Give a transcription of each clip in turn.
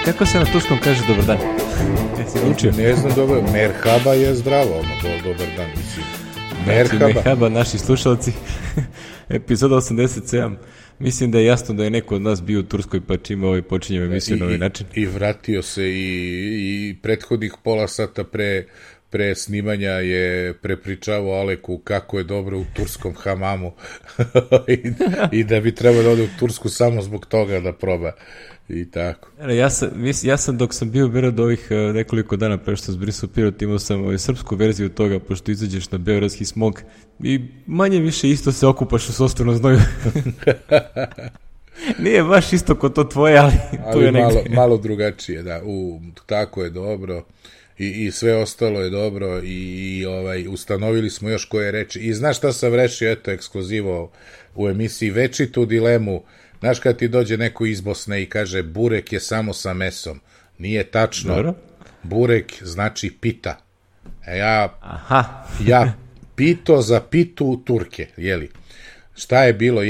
Kako se na turskom kaže dobar dan? Ne znam dobro, merhaba je zdravo, dobar dan, mislim. Merhaba, naši slušalci, epizoda 87. Mislim da je jasno da je neko od nas bio u Turskoj, pa čime počinjemo emisiju na ovaj način. I vratio se i prethodnih pola sata pre snimanja je prepričavao Aleku kako je dobro u turskom hamamu i da bi trebalo da ode u Tursku samo zbog toga da proba i tako. Ja sam dok sam bio od ovih nekoliko dana pre što zbrisao Pirot, imao sam srpsku verziju toga, pošto izađeš na beogradski smog i manje više isto se okupaš u sopstvenom znoju. Nije baš isto kod to tvoje, ali tu je negde. Malo drugačije, da. Tako je dobro. I sve ostalo je dobro i ustanovili smo još koje reči. I znaš šta sam rešio, eto, ekskluzivo u emisiji, večitu dilemu. Znaš kad ti dođe neko iz Bosne i kaže burek je samo sa mesom. Nije tačno. Dobro. Burek znači pita. Ja pito za pitu Turke, jeli? Šta je bilo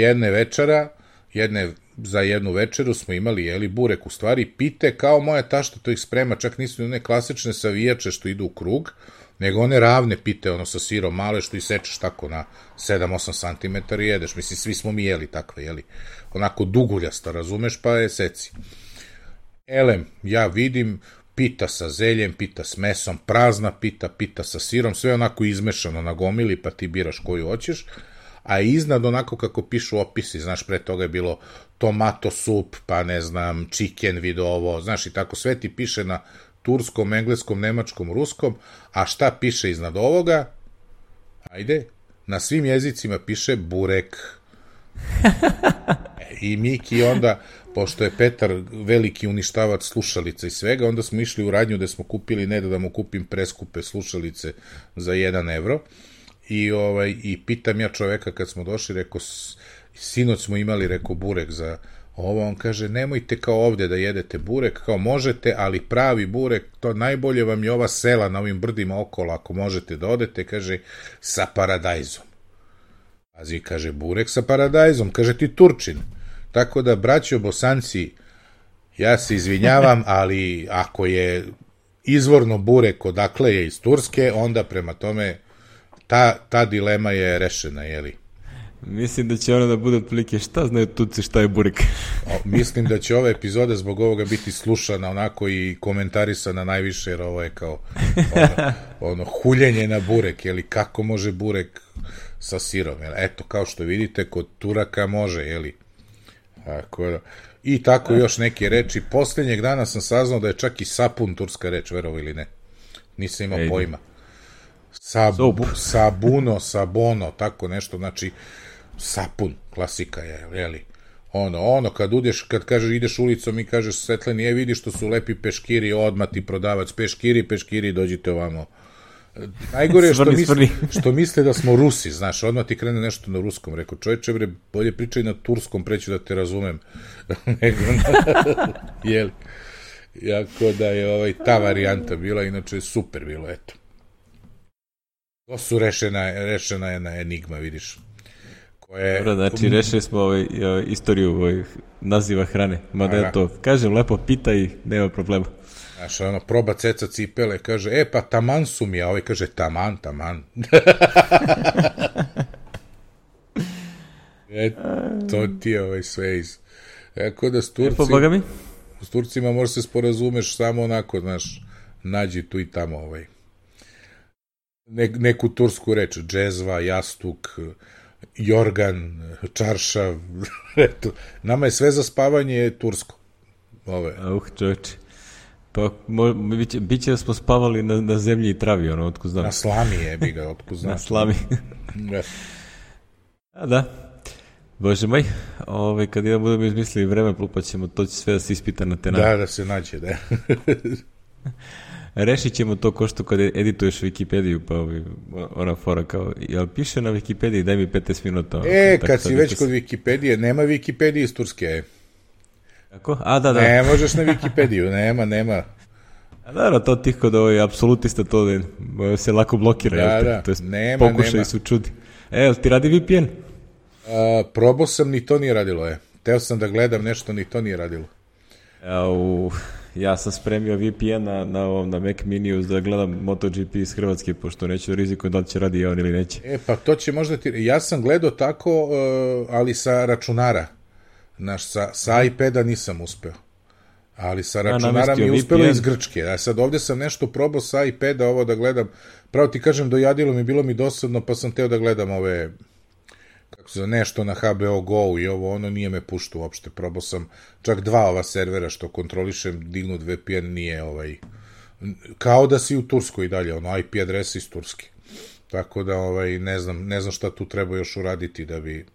za jednu večeru smo imali, jeli, burek, u stvari pite kao moja tašta to ih sprema, čak nisu one klasične savijače što idu u krug, nego one ravne pite, sa sirom male što isečeš tako na 7-8 cm i jedeš, mislim, svi smo mi jeli takve, jeli, onako duguljasta, razumeš, pa je seci. Elem, ja vidim, pita sa zeljem, pita s mesom, prazna pita sa sirom, sve onako izmešano na gomili, pa ti biraš koju hoćeš, a iznad onako kako pišu opisi, znaš, pre toga je bilo tomato sup, pa ne znam, chicken vidovo, znaš, i tako sve ti piše na turskom, engleskom, nemačkom, ruskom, a šta piše iznad ovoga? Ajde, na svim jezicima piše burek. I Miki onda, pošto je Petar veliki uništavac slušalica i svega, onda smo išli u radnju gde smo kupili, ne da mu kupim preskupe slušalice za 1 evro, i pitam ja čoveka kad smo došli, rekao, sinoć smo imali, rekao, burek za ovo, on kaže, nemojte kao ovde da jedete burek, kao možete, ali pravi burek, to najbolje vam je ova sela na ovim brdima okolo, ako možete da odete, kaže, sa paradajzom. Pazi, kaže, burek sa paradajzom, kaže ti Turčin. Tako da, braćo Bosanci, ja se izvinjavam, ali ako je izvorno burek odakle je iz Turske, onda prema tome ta dilema je rešena, jeli? Mislim da će ono da bude otprilike šta znaju Turci šta je burek. Mislim da će ova epizoda zbog ovoga biti slušana onako i komentarisana najviše, jer ovo je kao huljenje na burek, jeli, kako može burek sa sirom, jeli? Eto, kao što vidite, kod Turaka može, jeli? I tako još neke reči. Poslednjeg dana sam saznao da je čak i sapun turska reč, verovo ili ne. Nisam imao pojma. Sabuno, sabono, tako nešto, znači sapun, klasika je, jeli? Kad kažeš, ideš ulicom i kažeš Svetlani, vidiš što su lepi peškiri, odmah ti prodavac, peškiri, dođite ovamo. Najgore je što misle da smo Rusi, znaš, odmah ti krene nešto na ruskom, rekao, čovječe, bre, bolje pričaj na turskom, preću da te razumem. Jeli? Jako da je ta varijanta bila, inače super bilo, eto. To su rešena jedna enigma, vidiš. Dobro, znači rešili smo istoriju naziva hrane, mada je to, kažem, lepo pita i nema problema. Znaš, proba ceca cipele, kaže, pa taman su mi, a ovaj kaže, taman. To ti je sve iz... Eko da s Turcima možeš se sporazumeš samo onako, znaš, nađi tu i tamo neku tursku reč, džezva, jastuk, jorgan, čaršav, eto. Nama je sve za spavanje tursko. Čovječe. Pa bit će da smo spavali na zemlji i travi, otko znam. Na slami bi ga, otko znam. Na slami. Da. Bože moj, kad budemo izmislili vreme, pa ćemo, to će sve da se ispita na te Da se nađe, da. Rešit ćemo to ko što kad edituješ Wikipediju, pa ona fora kao, jel piše na Wikipediji, daj mi 15 minuta. Kad si već kod Wikipedije, nema Wikipedije iz Turske. Kako? Da. Ne možeš na Wikipediju, nema. Da, to tih kod apsolutista to se lako blokira. Da, nema. Pokušaj su čudi. Ti radi VPN? Probao sam, ni to nije radilo, Teo sam da gledam nešto, ni to nije radilo. Ja sam spremio VPN na Mac Miniju da gledam MotoGP iz Hrvatske, pošto neću rizikujem da li će radi on ili neće. Pa to će možda ti... Ja sam gledao tako, ali sa računara. Znaš, sa iPada nisam uspeo. Ali sa računara mi je uspelo iz Grčke. A sad ovdje sam nešto probao sa iPada ovo da gledam. Pravo ti kažem, dojadilo mi, bilo mi dosadno, pa sam teo da gledam ove... kako se nešto na HBO Go i ovo, ono nije me pušto uopšte. Probao sam čak 2 ova servera što kontrolišem, dignut VPN nije kao da si u Turskoj i dalje, IP adresa iz Turske. Tako da ne znam šta tu treba još uraditi da bi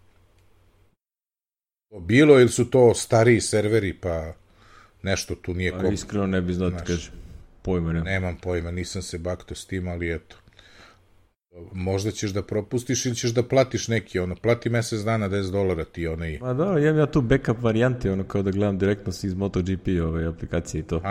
bilo, ili su to stariji serveri, pa nešto tu nije ko... Iskreno ne bi znao ti kažem. Pojma nema. Nemam pojma, nisam se bakto s tim, ali eto. Možda ćeš da propustiš ili ćeš da platiš neki, plati mesec dana $10 ti onaj... Ma da, imam ja tu backup varijanti, kao da gledam direktno iz MotoGP aplikacije i to.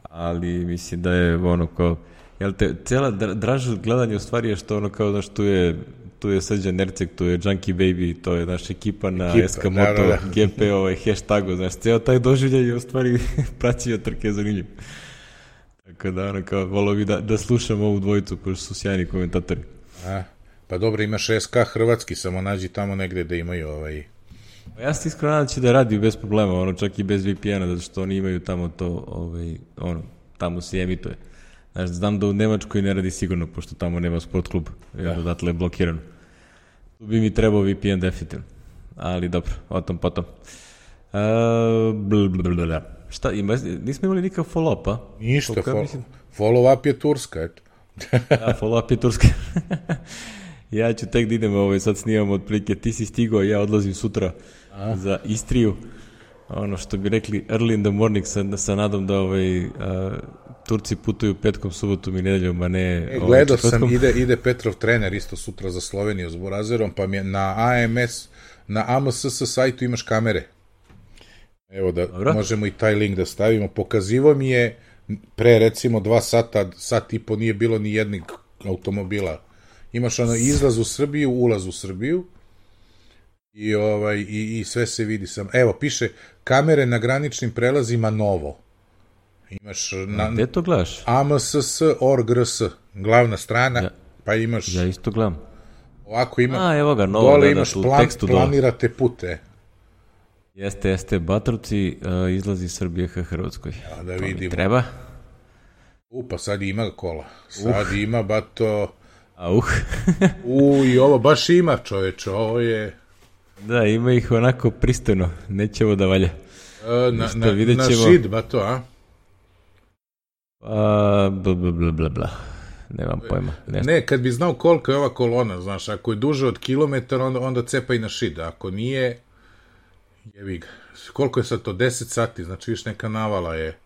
Ali mislim da je kao... Jel te, cijela draža gledanje u stvari je što kao, znaš, tu je Srđan Erceg, tu je Junkie Baby, to je naša ekipa na SK Moto, GP, hashtagu, znaš, cijel taj doživljaj je u stvari praćio trke zanimljiv. Tako da, kao, volio bi da slušam ovu dvojicu, pošto su sjajni komentatori. Pa dobro, imaš SK hrvatski, samo nađi tamo negde da imaju Ja sam iskreno nadam će da radi bez problema, čak i bez VPN-a, zato što oni imaju tamo to, tamo se emituje. Znaš, znam da u Nemačkoj ne radi sigurno, pošto tamo nema sport klub, jer odatle je blokirano. Tu bi mi trebao VPN definitivno, ali dobro, o tom potom. Šta, nismo imali nikakav follow-up, a? Ništa, follow-up je Turska, eto. Da, follow-up je Turska. Ja ću tek da idem, sad snimamo otprilike, ti si stigao, ja odlazim sutra za Istriju. Ono što bi rekli early in the morning sa nadom da Turci putuju petkom, subotom i nedeljom, a ne... Gledao sam, ide Petrov trener isto sutra za Sloveniju s Burazerom, pa mi je na AMSS sajtu imaš kamere. Evo da možemo i taj link da stavimo. Pokazivo mi je pre recimo 2 sata, sat i po nije bilo ni jednog automobila. Imaš izlaz u Srbiju, ulaz u Srbiju i sve se vidi sam. Evo, piše kamere na graničnim prelazima novo. Imaš gde to gledaš? AMSS.org.rs, glavna strana, pa imaš... Ja isto gledam. Ovako ima... Evo ga, novo, dole imaš planirate pute. Jeste, Batrovci, izlazi Srbije ka Hrvatskoj. Ja, da vidimo. Treba? Pa sad ima kola. Sad ima, bato... I ovo baš ima, čoveče, ovo je... Da, ima ih onako pristojno, neće ovo da valja. Na šid, bato, a? Bla. Nemam pojma. Ne, kad bi znao koliko je ova kolona, znaš, ako je duže od kilometar, onda cepa i na šid, ako nije, jevi ga. Koliko je sad to, 10 sati, znači viš neka navala je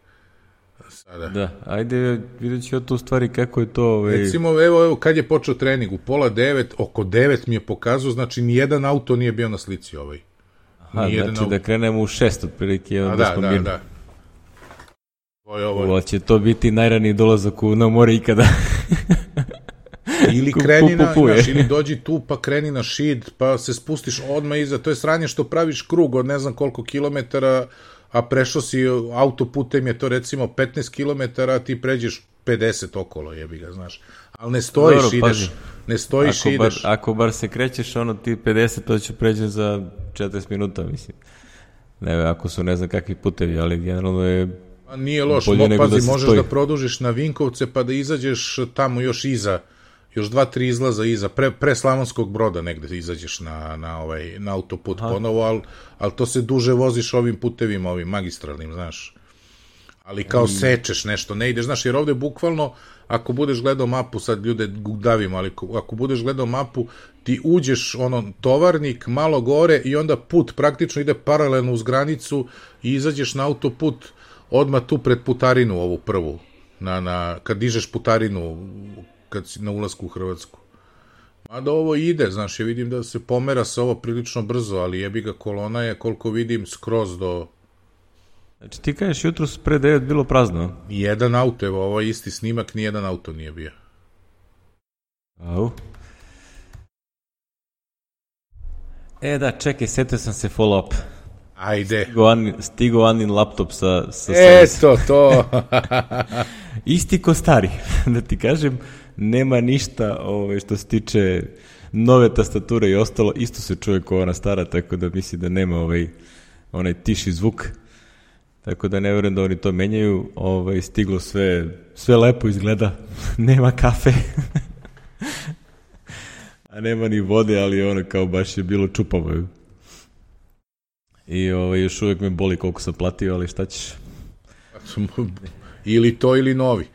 sada. Da, ajde, vidjet ću tu stvari kako je to... Recimo, evo, kad je počeo trening, u 8:30, oko 9 mi je pokazao, znači nijedan auto nije bio na slici ovaj. Znači da krenemo u 6 otprilike. Da. Ovo će to biti najraniji dolazak na more ikada. Ili kreni ili dođi tu pa kreni na šid, pa se spustiš odmah iza. To je sranje što praviš krug od ne znam koliko kilometara, a prešao si autoputem, je to recimo 15 kilometara, a ti pređeš 50 okolo, jebi ga, znaš. Ali ne stojiš, ideš. Ne stojiš i ideš. Ako bar se krećeš, ti 50, to će pređe za 40 minuta, mislim. Ne, ako su ne znam kakvi putevi, ali generalno je... Nije loš, pazi, možeš da produžiš na Vinkovce pa da izađeš tamo još iza, još 2-3 izlaza iza, pre Slavonskog Broda negde izađeš na autoput ponovo, ali to se duže voziš ovim putevima, ovim magistralnim, znaš. Ali kao sečeš nešto, ne ideš, znaš, jer ovde bukvalno, ako budeš gledao mapu, sad ljude davimo, ali ako budeš gledao mapu, ti uđeš, tovarnik, malo gore i onda put praktično ide paralelno uz granicu i izađeš na autoput odmah tu pred putarinu ovu prvu, kad dižeš putarinu kad si na ulasku u Hrvatsku. Mada ovo ide, znaš, ja vidim da se pomera se ovo prilično brzo, ali jebi ga, kolona je, koliko vidim, skroz do... Znači ti kažeš jutro pre 9 bilo prazno? Nijedan auto, evo, ovo je isti snimak, nijedan auto nije bio. Au. Da, čekaj, setio sam se follow-up. Ajde. Stigo Anin laptop sa Eto, to. Isti ko stari, da ti kažem, nema ništa što se tiče nove tastature i ostalo, isto se čuje kao ona stara, tako da misli da nema onaj tiši zvuk, tako da ne vjerujem da oni to menjaju, stiglo sve lepo izgleda, nema kafe, a nema ni vode, ali ono kao baš je bilo čupavo. I još uvijek me boli koliko sam platio, ali šta ćeš? Ili to ili novi.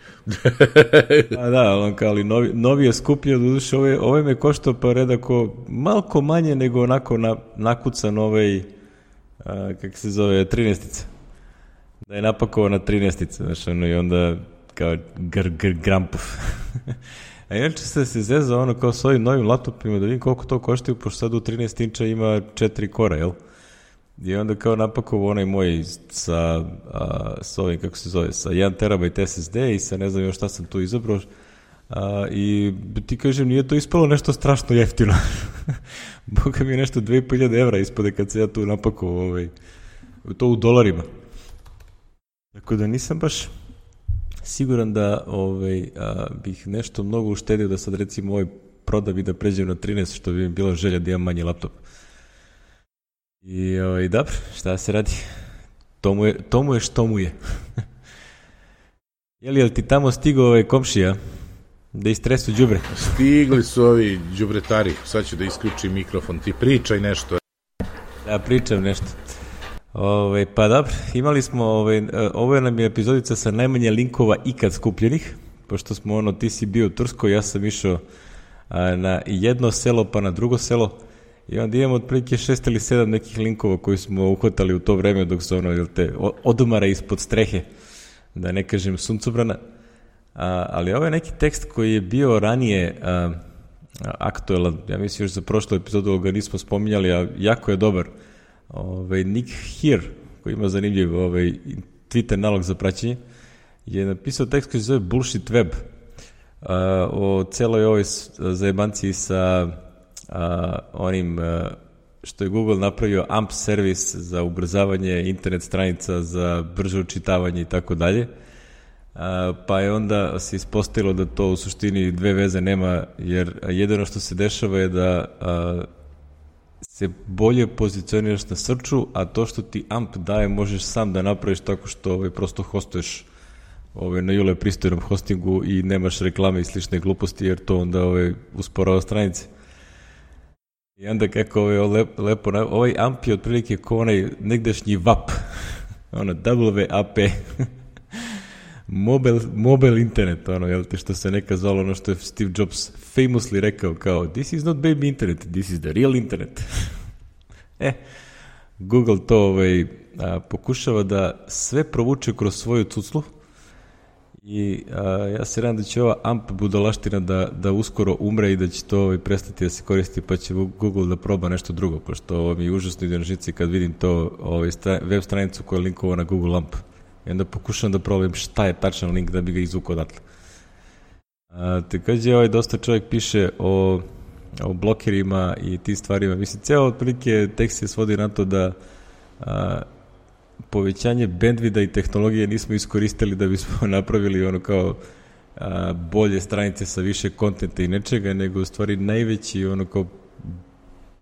A da, ali novi je skuplji, doduše ovaj me koštao pa redako malko manje nego onako nakucan kako se zove, 13-ica. Da je napakovao na 13-ica, znaš, i onda kao grampov. A inače se zezao kao s ovim novim laptopima da vidim koliko to koštaju, pošto sad u 13 inča ima 4 kora, jel? I onda kao napakovao onaj moj sa ovim, kako se zove, sa 1 terabajt SSD i sa ne znam još šta sam tu izabrao. I ti kažem, nije to ispalo nešto strašno jeftino. Boga mi je nešto 2500 evra ispade kad se ja tu napakovao, to u dolarima. Tako da nisam baš siguran da bih nešto mnogo uštedio da sad recimo ovaj prodam i da pređem na 13, što bi mi bila želja da imam manji laptop. I dobro, šta se radi? To mu je što mu je. Jel ti tamo stigao komšija da istresu đubre? Stigli su ovi đubretari, sad ću da isključim mikrofon, ti pričaj nešto. Da, pričam nešto. Pa dobro, imali smo, ovo nam je epizodica sa najmanje linkova ikad skupljenih, pošto smo ti si bio u Turskoj, ja sam išao na jedno selo pa na drugo selo, i onda imamo otprilike 6 ili 7 nekih linkova koji smo uhvatali u to vreme dok su odumara ispod strehe, da ne kažem suncobrana. Ali ovo je neki tekst koji je bio ranije aktuelan, ja mislim još za prošlu epizodu ga nismo spominjali, a jako je dobar. Nick Here, koji ima zanimljiv Twitter nalog za praćenje, je napisao tekst koji se zove Bullshit Web, o celoj ovoj zajebanciji sa onim što je Google napravio AMP servis za ubrzavanje internet stranica, za brže učitavanje i tako dalje. Pa je onda se ispostavilo da to u suštini dve veze nema, jer jedino što se dešava je da se bolje pozicioniraš na searchu, a to što ti AMP daje možeš sam da napraviš tako što prosto hostuješ na jule pristojnom hostingu i nemaš reklame i slične gluposti, jer to onda usporava stranice. I onda kako lepo, ovaj AMP je otprilike kao onaj negdašnji WAP, WAP, mobile internet, što se neka zvalo, što je Steve Jobs famously rekao, kao, this is not baby internet, this is the real internet. Google to pokušava da sve provuče kroz svoju cuclu i ja se nadam da će ova AMP budalaština da uskoro umre i da će to prestati da se koristi, pa će Google da proba nešto drugo, pošto ovo mi je užasno ide na žici kad vidim to web stranicu koja je linkovana na Google AMP. I onda pokušam da probavam šta je tačan link da bi ga izvukao odatle. Takođe, dosta čovjek piše o blokerima i ti stvarima. Mislim, ceo otprilike tekst se svodi na to da povećanje bandvida i tehnologije nismo iskoristili da bismo napravili kao bolje stranice sa više kontenta i nečega, nego u stvari najveći kao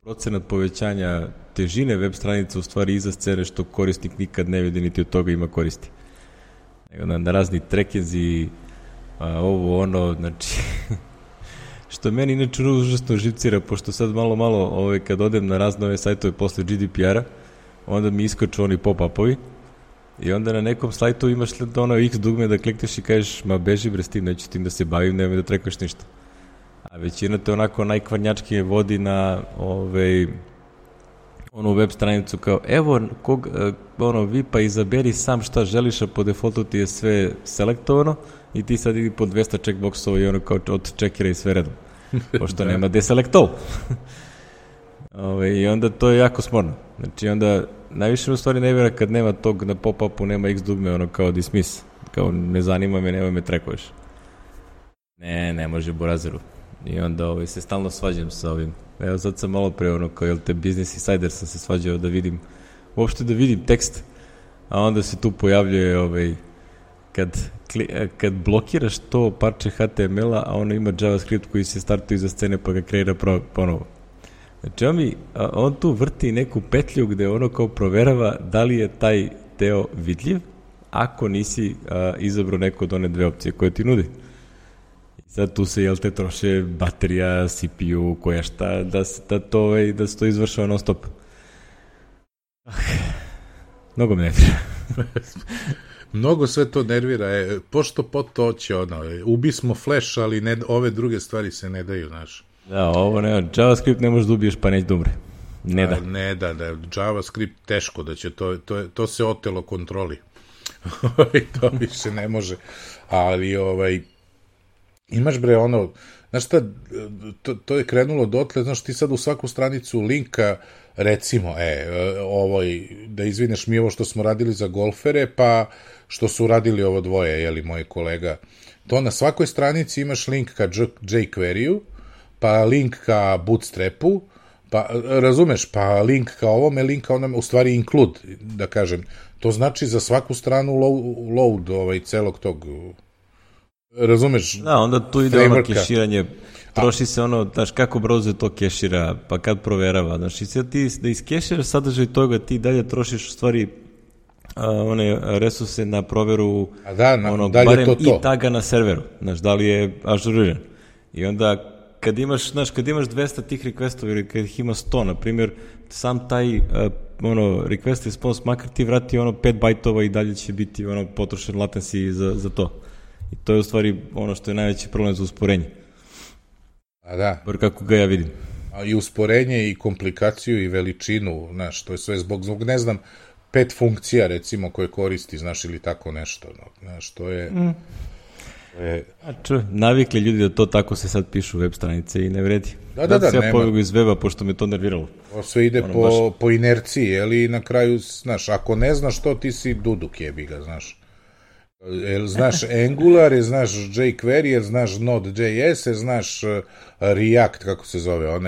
procenat povećanja težine web stranica u stvari iza scene što korisnik nikad ne vidi niti od toga ima koristi. Na razni trekinzi, znači što meni inače užasno živcira, pošto sad malo kad odem na razne ove sajtove posle GDPR-a, onda mi iskaču oni pop-upovi i onda na nekom sajtu imaš X dugme da klikneš i kažeš, ma beži bre s tim, neću s tim da se bavim, nemoj da trekaš ništa. A većina te onako najkvarnjačkije vodi na onu web stranicu kao, evo, vi pa izaberi sam šta želiš, a po defaultu ti je sve selektovano i ti sad idi po 200 checkboxova i kao od checkera i sve redom. Pošto nema deselect all. I onda to je jako smorno. Znači onda najviše u stvari ne vjera kad nema tog na pop-upu, nema X dugme, kao dismiss. Kao ne zanima me, nemoj me trekuješ. Ne može burazeru. I onda se stalno svađam sa ovim. Evo sad sam malo pre kao, Business Insider sam se svađao da vidim uopšte da vidim tekst, a onda se tu pojavljuje kad blokiraš to parče HTML-a, a ono ima JavaScript koji se startuje iza scene pa ga kreira ponovo. Znači on tu vrti neku petlju gde ono kao proverava da li je taj deo vidljiv ako nisi izabrao neko od one dve opcije koje ti nudi. I sad tu se, troše baterija, CPU, koja šta, da se to izvršava non stop. Mnogo me nervira. Mnogo sve to nervira. Pošto to će ubi smo Flash, ali ove druge stvari se ne daju, znaš. Da, ovo ne, JavaScript ne možeš da ubiješ pa neće da umre. Ne da. Ne da, JavaScript teško da će, to se otelo kontroli. To više ne može. Ali, imaš bre znaš šta, to je krenulo dotle, znaš ti sad u svaku stranicu linka, recimo, da izvineš mi ovo što smo radili za golfere, pa što su radili ovo dvoje, moje kolega, to na svakoj stranici imaš link ka jQuery-u, pa link ka Bootstrapu, pa razumeš, pa link ka ovome, link ka onome, u stvari include, da kažem, to znači za svaku stranu load celog tog, razumeš? Da, onda tu ide ono keširanje, troši se znaš kako browser to kešira, pa kad proverava, znaš, i sad ti da iskeširaš sadržaj toga, ti dalje trošiš u stvari one resurse na proveru barem i taga na serveru, znaš, da li je ažuriran. I onda kad imaš 200 tih requestova ili kad ih ima 100, na primjer, sam taj request response, makar ti vrati 5 bajtova i dalje će biti potrošen latency za to. I to je u stvari ono što je najveći problem za usporenje. A da. Bar kako ga ja vidim. A i usporenje i komplikaciju i veličinu, znaš, to je sve zbog ne znam, 5 funkcija recimo koje koristi, znaš, ili tako nešto. Znaš, to je... navikli ljudi da to tako se sad pišu web stranice i ne vredi. Da, se ja pobjegu iz weba pošto me to nerviralo. Sve ide po inerciji, ali na kraju, znaš, ako ne znaš to, ti si duduk jebiga, znaš. Znaš Angular, znaš jQuery, znaš Node.js, znaš React, kako se zove,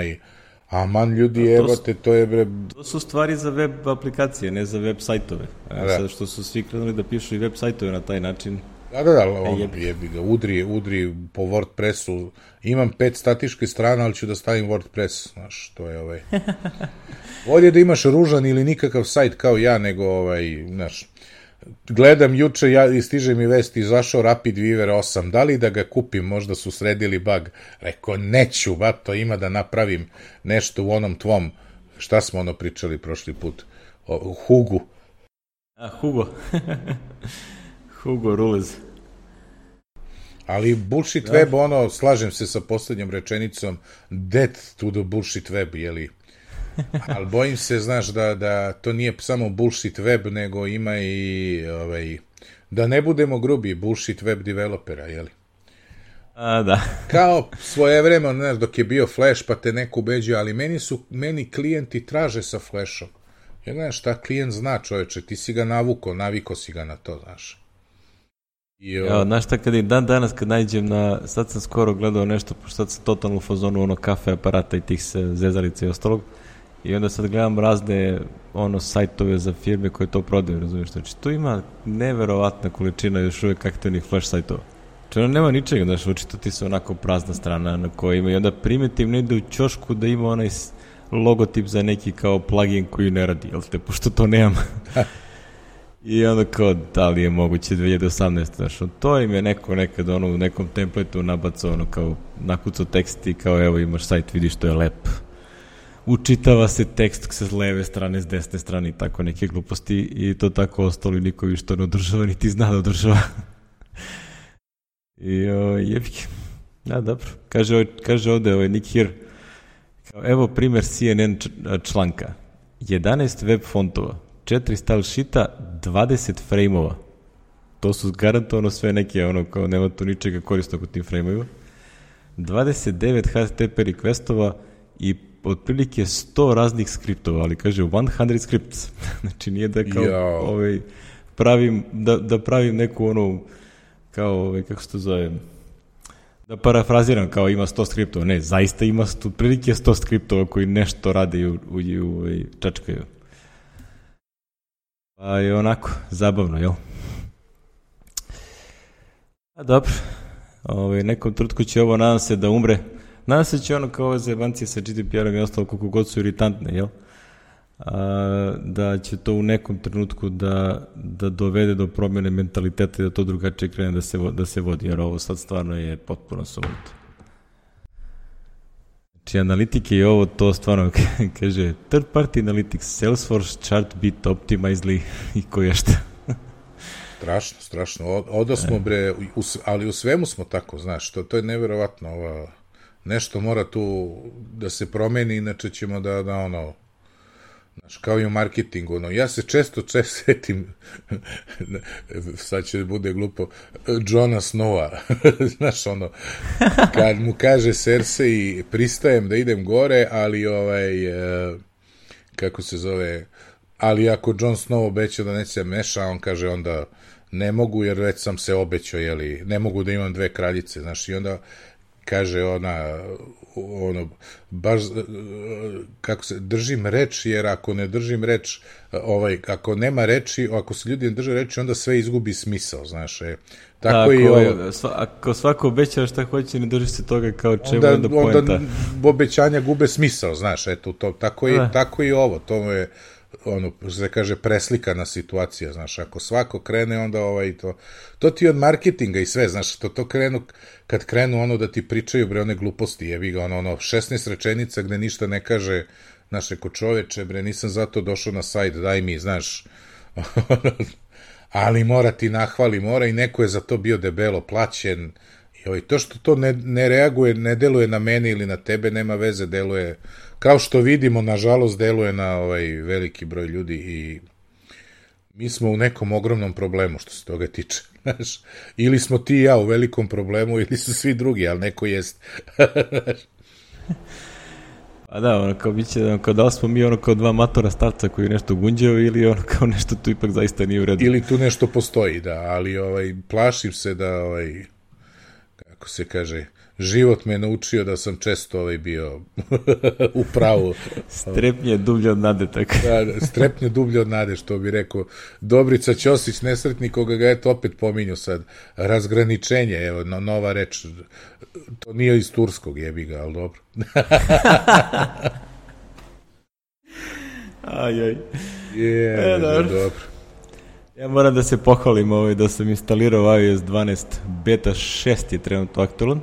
aman ljudi, evo te, to je bre... To su stvari za web aplikacije, ne za web sajtove. Sada što su svi krenuli da pišu i web sajtove na taj način. Da, jebi ga, udri po WordPressu, imam 5 statičke strana, ali ću da stavim WordPress, znaš, to je Bolje da imaš ružan ili nikakav sajt kao ja, nego znaš, gledam juče, stiže mi vest, izašao RapidWeaver 8, da li da ga kupim, možda su sredili bug, rekao, neću, bato, ima da napravim nešto u onom tvom, šta smo pričali prošli put, Hugu. Hugo. Hugo Rules. Ali bullshit web, slažem se sa poslednjom rečenicom, death to the bullshit web, jeli? Ali bojim se, znaš, da to nije samo bullshit web, nego ima i, da ne budemo grubi, bullshit web developera, jeli? Da. Kao svojevremeno, znaš, dok je bio Flash, pa te neko ubeđuje, ali meni klijenti traže sa Flashom. Jer, znaš, šta klijent zna, čoveče, ti si ga naviko si ga na to, znaš. Znaš šta, danas kad nađem sad sam skoro gledao nešto, pošto sad sam totalno u fazonu kafe aparata i tih zezalica i ostalog, i onda sad gledam razne sajtove za firme koje to prodaju, razumiješ, znači tu ima neverovatna količina još uvijek aktivnih flash sajtova. Znači nema ničega, znaš, očito ti se onako prazna strana na kojoj ima, i onda primetim negde u ćošku da ima onaj logotip za neki kao plugin koji ne radi, jel te, pošto to nemam. I onda kao, da li je moguće 2018, znaš, to im je neko nekad u nekom template'u nabacao, kao nakucao tekst i kao, evo imaš sajt, vidiš, to je lep. Učitava se tekst sa leve strane, s desne strane i tako neke gluposti, i to tako ostalo i niko više to ne održava, niti zna da održava. I jebike. Da, dobro. Kaže ovde Nick Here, evo primer CNN članka. 11 web fontova, 4 style sheeta, 20 frame-ova. To su garantovano sve neke, kao nema tu ničega korisnog u tim frame-ovima. 29 HTTP requestova i otprilike 100 raznih skriptova, ali kaže 100 scripts. Znači nije da kao pravim neku kao, kako se to zove, da parafraziram, kao ima 100 skriptova. Ne, zaista ima otprilike 100 skriptova koji nešto rade i čačkaju. Pa je onako, zabavno, jel? A dobro, nekom trutku će ovo, nadam se da umre. Nadam se će ono kao ove zajebancije sa GDPR-om i ostalo koliko god su iritantne, jel? Da će to u nekom trenutku da dovede do promjene mentaliteta i da to drugačije krene da se vodi, jer ovo sad stvarno je potpuno sumnuto. Znači, analitike i ovo, to stvarno kaže third party analytics, Salesforce, Chartbeat, Optimizely i koje šta. Strašno. Odo smo, bre, ali u svemu smo tako, znaš, to je neverovatno. Nešto mora tu da se promeni, inače ćemo da ono, znaš, kao i u marketingu, ono, ja se često setim, sad će bude glupo, Johna Snowa, znaš, ono, kad mu kaže Cersei, pristajem da idem gore, ali kako se zove, ali ako Jon Snow obeća da neće se meša, on kaže onda ne mogu, jer već sam se obećao, jeli, ne mogu da imam 2 kraljice, znaš, i onda kaže ono, baš, kako se, držim reč, jer ako ne držim reč, ako nema reči, ako se ljudi ne drže reči, onda sve izgubi smisao, znaš, tako i ovo. Ako svako obećava šta hoće, ne drži se toga kao čemu onda poenta. Onda obećanja gube smisao, znaš, eto, tako i ovo, to je, ono, se kaže, preslikana situacija, znaš, ako svako krene, onda to ti od marketinga i sve, znaš, to krenu, kad krenu ono da ti pričaju, bre, one gluposti, jebi ga, ono, 16 rečenica gde ništa ne kaže, znaš, reko čoveče, bre, nisam zato došao na sajt, daj mi, znaš, ali mora ti nahvali, mora i neko je za to bio debelo plaćen, i to što to ne reaguje, ne deluje na mene ili na tebe, nema veze, deluje, kao što vidimo, nažalost, deluje na veliki broj ljudi i mi smo u nekom ogromnom problemu što se toga tiče, znaš, ili smo ti i ja u velikom problemu, ili su svi drugi, ali neko jest. A da, ono kao biće, kao da li smo mi ono kao 2 matora starca koji nešto gunđeo ili ono kao nešto tu ipak zaista nije u redu. Ili tu nešto postoji, da, ali plašim se da, kako se kaže, život me naučio da sam često bio u pravu. Strepnje dublje od nade, tako. Da, strepnje dublje od nade, što bi rekao Dobrica Ćosić, nesretni, koga ga eto opet pominju sad. Razgraničenje, evo, nova reč. To nije iz turskog, jebi ga, ali dobro. Ajaj. Dobro. Ja moram da se pohvalim da sam instalirao iOS 12 beta 6 je trenutno aktualan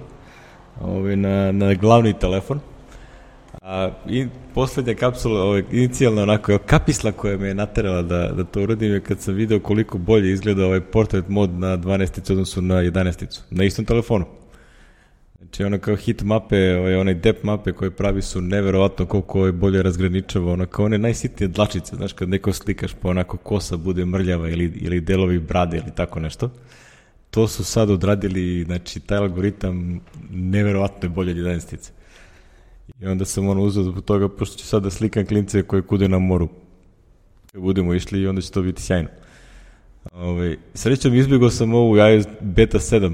na glavni telefon. I poslednja kapsula, inicijalna onako kapisla koja me je naterala da to uradim je kad sam video koliko bolje izgleda portrait mod na 12 odnosu na 11 na istom telefonu. Znači ono kao hit mape, onaj depth mape koje pravi su neverovatno koliko bolje razgraničava, ono kao one najsitnije dlačice, znaš, kad neko slikaš pa onako kosa bude mrljava ili delovi brade ili tako nešto. To su sad odradili, znači taj algoritam neverovatno je bolje od 11. I onda sam uzeo zbog toga, pošto ću sad da slikam klince koje kude na moru. Kad budemo išli i onda će to biti sjajno. Srećom izbjegao sam ovu iOS beta 7.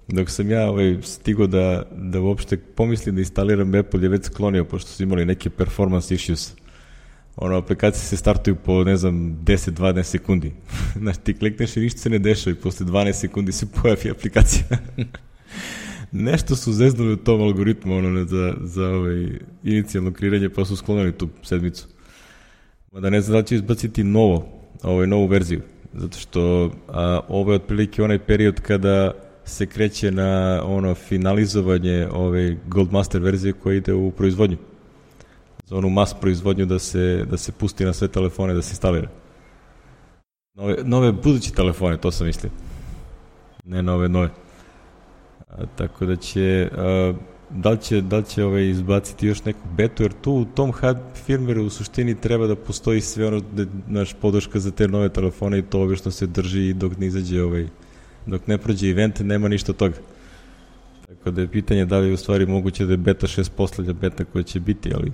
Dok sam ja stigao da uopšte pomislim da instaliram Apple je već sklonio, pošto su imali neke performance issues. Aplikacije se startuju po, ne znam, 10-12 sekundi. Znači, ti klikneš i ništa se ne dešava i posle 12 sekundi se pojavi aplikacija. Nešto su zeznuli u tom algoritmu za inicijalno kreiranje, pa su sklonili tu sedmicu. Mada ne znam da će izbaciti novu verziju, zato što ovo je otprilike onaj period kada se kreće na finalizovanje ove Goldmaster verzije koja ide u proizvodnju. Za onu mass proizvodnju da se pusti na sve telefone, da se instalira. Nove buduće telefone, to sam mislio. Ne nove. Tako da će, da li će izbaciti još neku betu, jer tu u tom firmwareu u suštini treba da postoji sve naš podrška za te nove telefone i to obično se drži dok ne izađe dok ne prođe event, nema ništa od toga. Tako da je pitanje da li je u stvari moguće da je beta 6 poslednja beta koja će biti, ali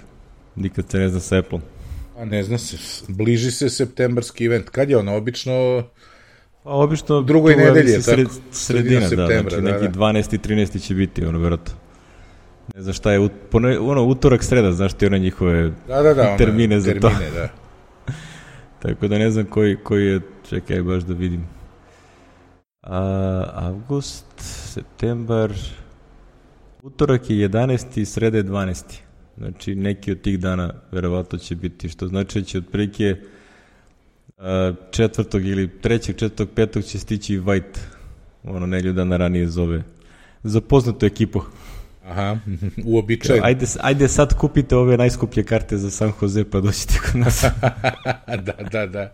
nikad se ne zna sa Apple-om. A ne zna se, bliži se septembarski event. Kad je ono, obično? Obično drugoj nedelje, sredina, znači neki 12. i 13. će biti, verovatno. Ne znam šta je, utorak, sreda, znaš ti one njihove termine za to. Da. Tako da ne znam koji je, čekaj baš da vidim. Avgust, septembar, utorak je 11. sreda je 12. Znači neki od tih dana verovatno će biti, što znači da će otprilike 4. ili 3., 4., 5. će stići White, nedelju dana ranije zove za poznatu ekipu. Aha, uobičajno. Ajde sad kupite ove najskuplje karte za San Jose pa doćete kod nas. Da.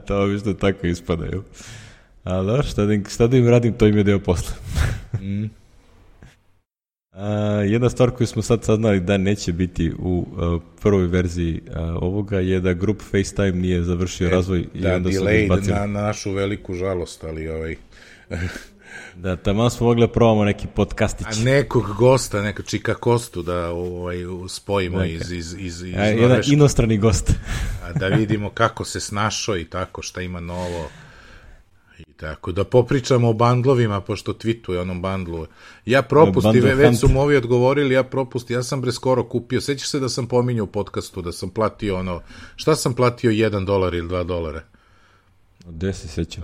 To obično tako ispadaju. Ali šta da im radim, to im je deo posla. Jedna stvar koju smo sad saznali da neće biti u prvoj verziji ovoga je da grup FaceTime nije završio razvoj i onda su izbacili. Na našu veliku žalost, ali Da, tamo smo mogli da probamo neki podcastić. A nekog gosta, neka Čika Kostu da spojimo iz jedan inostrani gost. Da vidimo kako se snašao i tako, šta ima novo. I tako, da popričamo o bandlovima, pošto tweetuje onom bandlu. Ja propusti, već su mu ovi odgovorili, ja sam skoro kupio, sećaš se da sam pominjao u podcastu, da sam platio šta sam platio, $1 ili $2? Gde se sećam?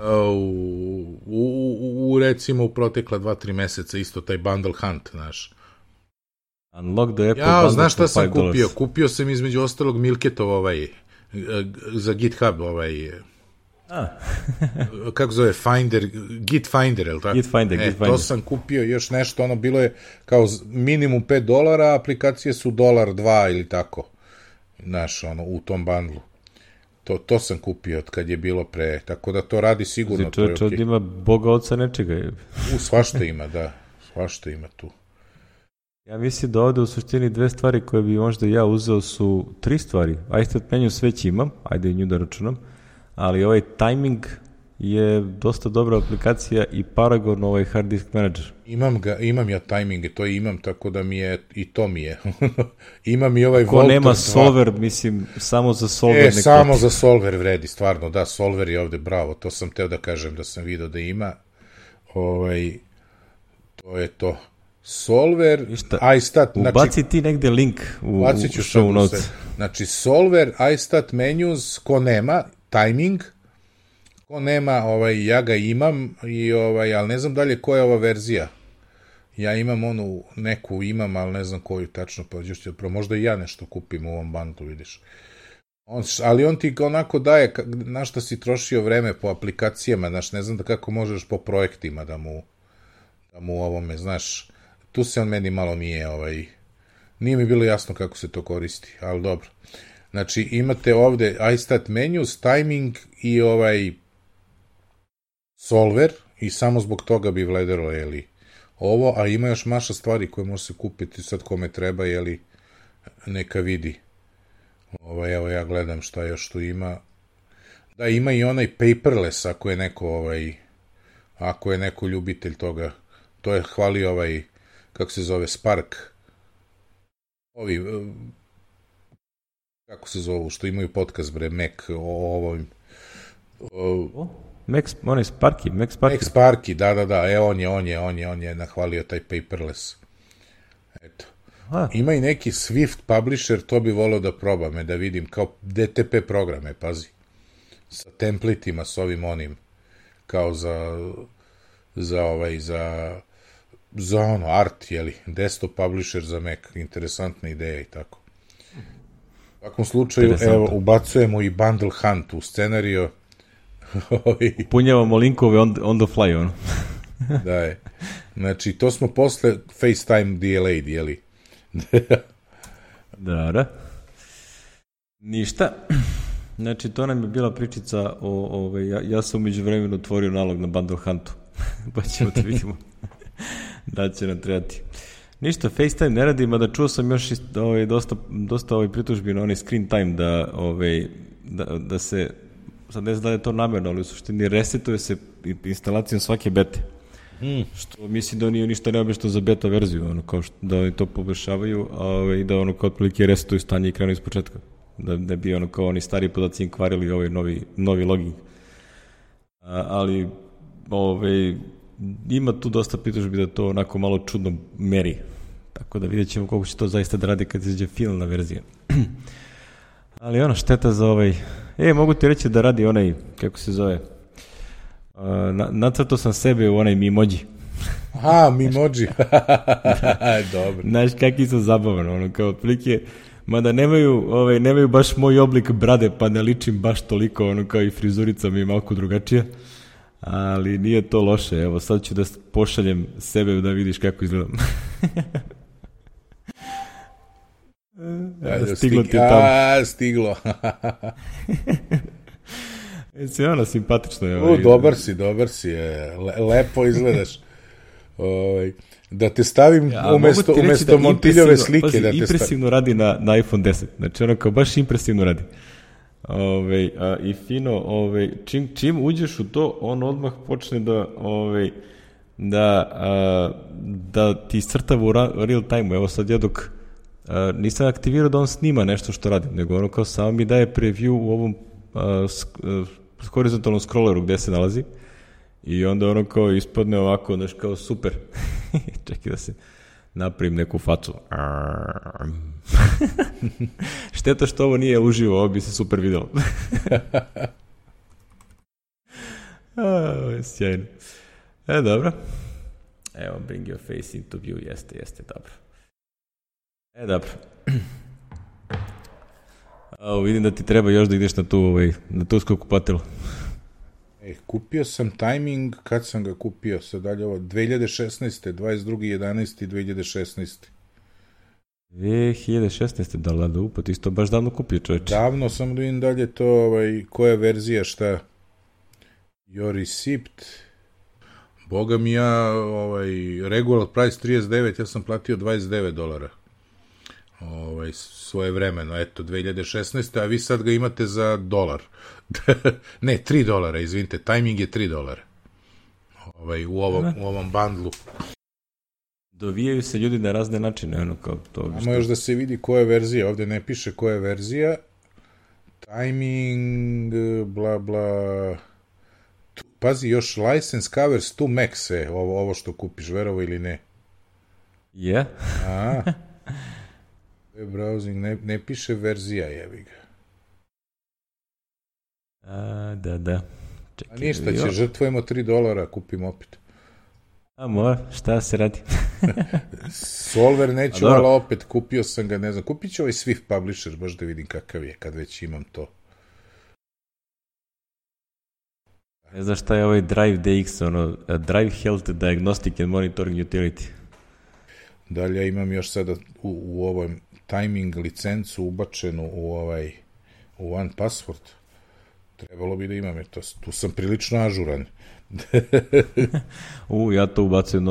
Recimo u protekla 2-3 meseca isto taj Bundle Hunt, znaš. Unlock the Apple Bundle. Znaš šta sam kupio? Kupio sam između ostalog Milketov za GitHub kako zove, Git Finder, je li tako? Git Finder. To sam kupio još nešto, bilo je kao minimum $5, aplikacije su $2 ili tako, znaš, u tom bundlu. To sam kupio od kad je bilo pre, tako da to radi sigurno. Znači, čovječ ovdje ima Boga oca nečega. Svašta ima, da, svašta ima tu. Ja mislim da ovde u suštini 2 stvari koje bi možda ja uzeo su 3 stvari. iStat menu već imam, ajde i nju da računam, ali ovaj timing je dosta dobra aplikacija i Paragon, hard disk manager. Imam ja timinge, to imam, tako da mi je, i to mi je. Imam i ovaj Voltor 2. Ko nema solver, mislim, samo za solver. Samo za solver vredi, stvarno, da, solver je ovde, bravo, to sam teo da kažem, da sam video da ima. To je to. Solver, iStat, ubaci ti negde link u show notes. Znači, solver, iStat menus, ko nema, timing, ko nema, ja ga imam, ali ne znam dalje koja je ova verzija. Ja imam neku ali ne znam koju tačno, pa možda i ja nešto kupim u ovom bundlu, vidiš. Ali on ti onako daje, na šta si trošio vreme po aplikacijama, znaš, ne znam kako možeš po projektima da mu ovome, znaš, tu se on meni malo nije mi bilo jasno kako se to koristi, ali dobro. Znači, imate ovde iStat menus, timing i solver i samo zbog toga bi vledero, ovo, a ima još maša stvari koje može se kupiti sad kome treba, neka vidi. Evo ja gledam šta još tu ima. Da, ima i onaj paperless, ako je neko ljubitelj toga. To je hvali kako se zove, Spark. Kako se zovu, što imaju podcast, bre, Mac, Mac Sparky, da, on je nahvalio taj paperless. Eto. Ima i neki Swift publisher, to bi volio da probam, da vidim, kao DTP programe, pazi. Sa templitima, s onim, kao za art, desktop publisher za Mac, interesantna ideja i tako. U svakom slučaju, evo, ubacujemo i Bundle Hunt u scenariju. Upunjavamo linkove on the fly, Da je. Znači, to smo posle FaceTime delayed, jeli? Da. Ništa. Znači, to nam je bila pričica o ja sam umeđu vremenu otvorio nalog na Bundle Huntu. Pa ćemo da vidimo da će nam trebati. Ništa, FaceTime ne radi, mada čuo sam još dosta pritužbi na onaj screen time da se, sad ne znam da je to namerno, ali u suštini resetuje se instalacijom svake bete. Što mislim da nije ništa neobično za beta verziju, kao da oni to poboljšavaju i da kao otprilike resetuju stanje i krenu iz početka. Da bi kao oni stari podaci im kvarili ovaj novi login. Ali ima tu dosta pritužbi da to onako malo čudno meri. Tako da vidjet ćemo koliko će to zaista da radi kad izađe finalna verzija. Ali ono, šteta za mogu ti reći da radi onaj, kako se zove, nacrtao sam sebe u onaj Mimoji. Aha, Mimoji. Dobro. Znaš, kakvi su zabavan, ono, kao otprilike, mada nemaju baš moj oblik brade, pa ne ličim baš toliko, ono, kao i frizurica mi je malko drugačija, ali nije to loše. Evo, sad ću da pošaljem sebe da vidiš kako izgledam. Stiglo ti je tamo. Stiglo. Jesi ono simpatično. Dobar si. Lepo izgledaš. Da te stavim umesto Montiljove slike. Da te impresivno radi na iPhone 10. Znači ono kao baš impresivno radi. I fino, čim uđeš u to, on odmah počne da ti crtava u real time. Evo sad ja dok nisam aktivirao da on snima nešto što radi, nego ono kao samo mi daje preview u ovom horizontalnom scrolleru gde se nalazi i onda ono kao ispadne ovako, znaš, kao super. Čekaj da se napravim neku facu. Šteta što ovo nije uživo, ovo bi se super videlo. Sjajno. Dobro. Evo, bring your face into view, jeste, dobro. Dobro. Vidim da ti treba još da ideš na tu skupatilu. Kupio sam timing, kad sam ga kupio, sad dalje ovo, 2016. 22.11. 2016. 2016. Da upad, isto baš davno kupio, čovječe. Davno sam da vidim dalje to, koja verzija, šta? Your receipt. Boga mi ja, regular price 39, ja sam platio $29. Svoje vremeno, eto, 2016. A vi sad ga imate za $1. Ne, $3, izvinite, timing je $3. U ovom bundlu. Dovijaju se ljudi na razne načine, ono kao to. Samo još da se vidi koja verzija, ovde ne piše koja verzija. Timing, bla, bla. Pazi, još license covers to Max, ovo što kupiš, verovo ili ne. Je? Browsing, ne piše verzija, jebi ga. Da. Čekaj, ništa, će žrtvujemo $3, kupim opet. Mora, šta se radi? Solver neću, ali opet kupio sam ga, ne znam, kupit ću Swift Publisher, baš da vidim kakav je, kad već imam to. Ne znaš šta je Drive DX, Drive Health Diagnostic and Monitoring Utility. Dalje imam još sada u ovom timing licencu ubačenu u OnePassword. Trebalo bi da imam, tu sam prilično ažuran. Ja to ubacujem,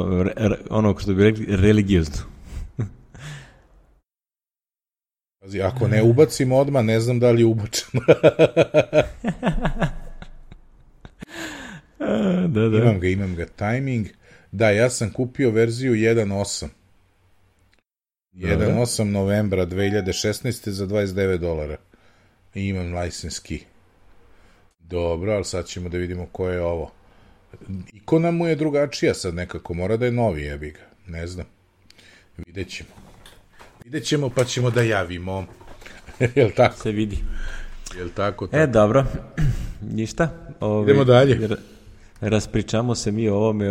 ono što bi rekli, religiozno. Ako ne ubacim odmah, ne znam da li je ubačeno. Da. Imam ga, timing. Da, ja sam kupio verziju 1.8. 1.8 novembra 2016. za $29. I imam license key. Dobro, ali sad ćemo da vidimo ko je ovo. Ikona mu je drugačija sad nekako, mora da je novi, jebi ga. Ne znam. Vidjet ćemo pa ćemo da javimo. Jel tako? Se vidi. Jel tako? Dobro. Ništa. Idemo dalje. Raspričamo se mi o ovome.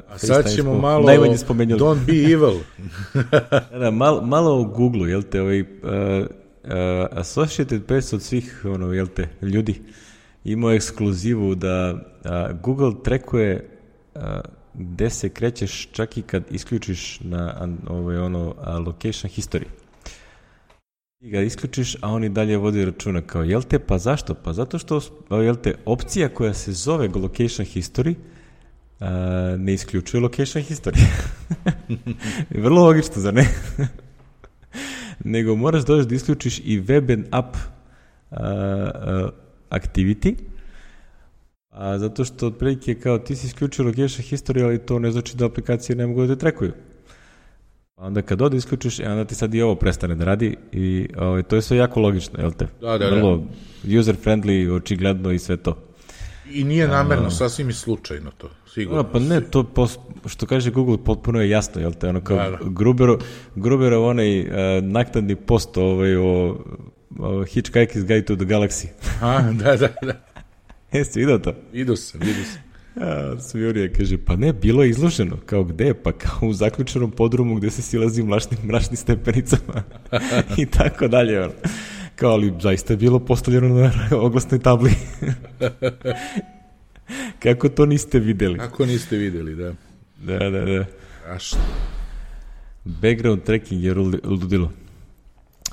A sad ćemo malo Don't be evil. Malo o Google-u, jel te, Associated Press od svih, jel te, ljudi imao ekskluzivu da Google trackuje gde se krećeš čak i kad isključiš na location history. I ga isključiš, a on i dalje vodi računa kao, jel te, pa zašto? Pa zato što, jel te, opcija koja se zove location history ne isključuje location history. Vrlo logično, zar ne? Nego moraš da isključiš i web and app activity, zato što otprilike kao ti si isključio location history, ali to ne znači da aplikacije ne mogu da te trekuju. Onda kad isključiš, onda ti sad i ovo prestane da radi i to je sve jako logično, jel te? Da. Vrlo user-friendly, očigledno i sve to. I nije namerno, sasvim i slučajno to, sigurno. Pa ne, to što kaže Google potpuno je jasno, jel te? Ono kao Gruberov onaj naknadni post Hitchhiker's Guide to the Galaxy. Da. Jeste vidio to? Vidio sam. Jurija kaže, pa ne, bilo je izloženo. Kao gde? Pa kao u zaključenom podrumu gde se silazi mračnim stepenicama. I tako dalje. Ono. Kao, ali zaista je bilo postavljeno na oglasnoj tabli. Kako to niste videli? Kako niste videli, da. Da. A što? Background tracking je ludilo.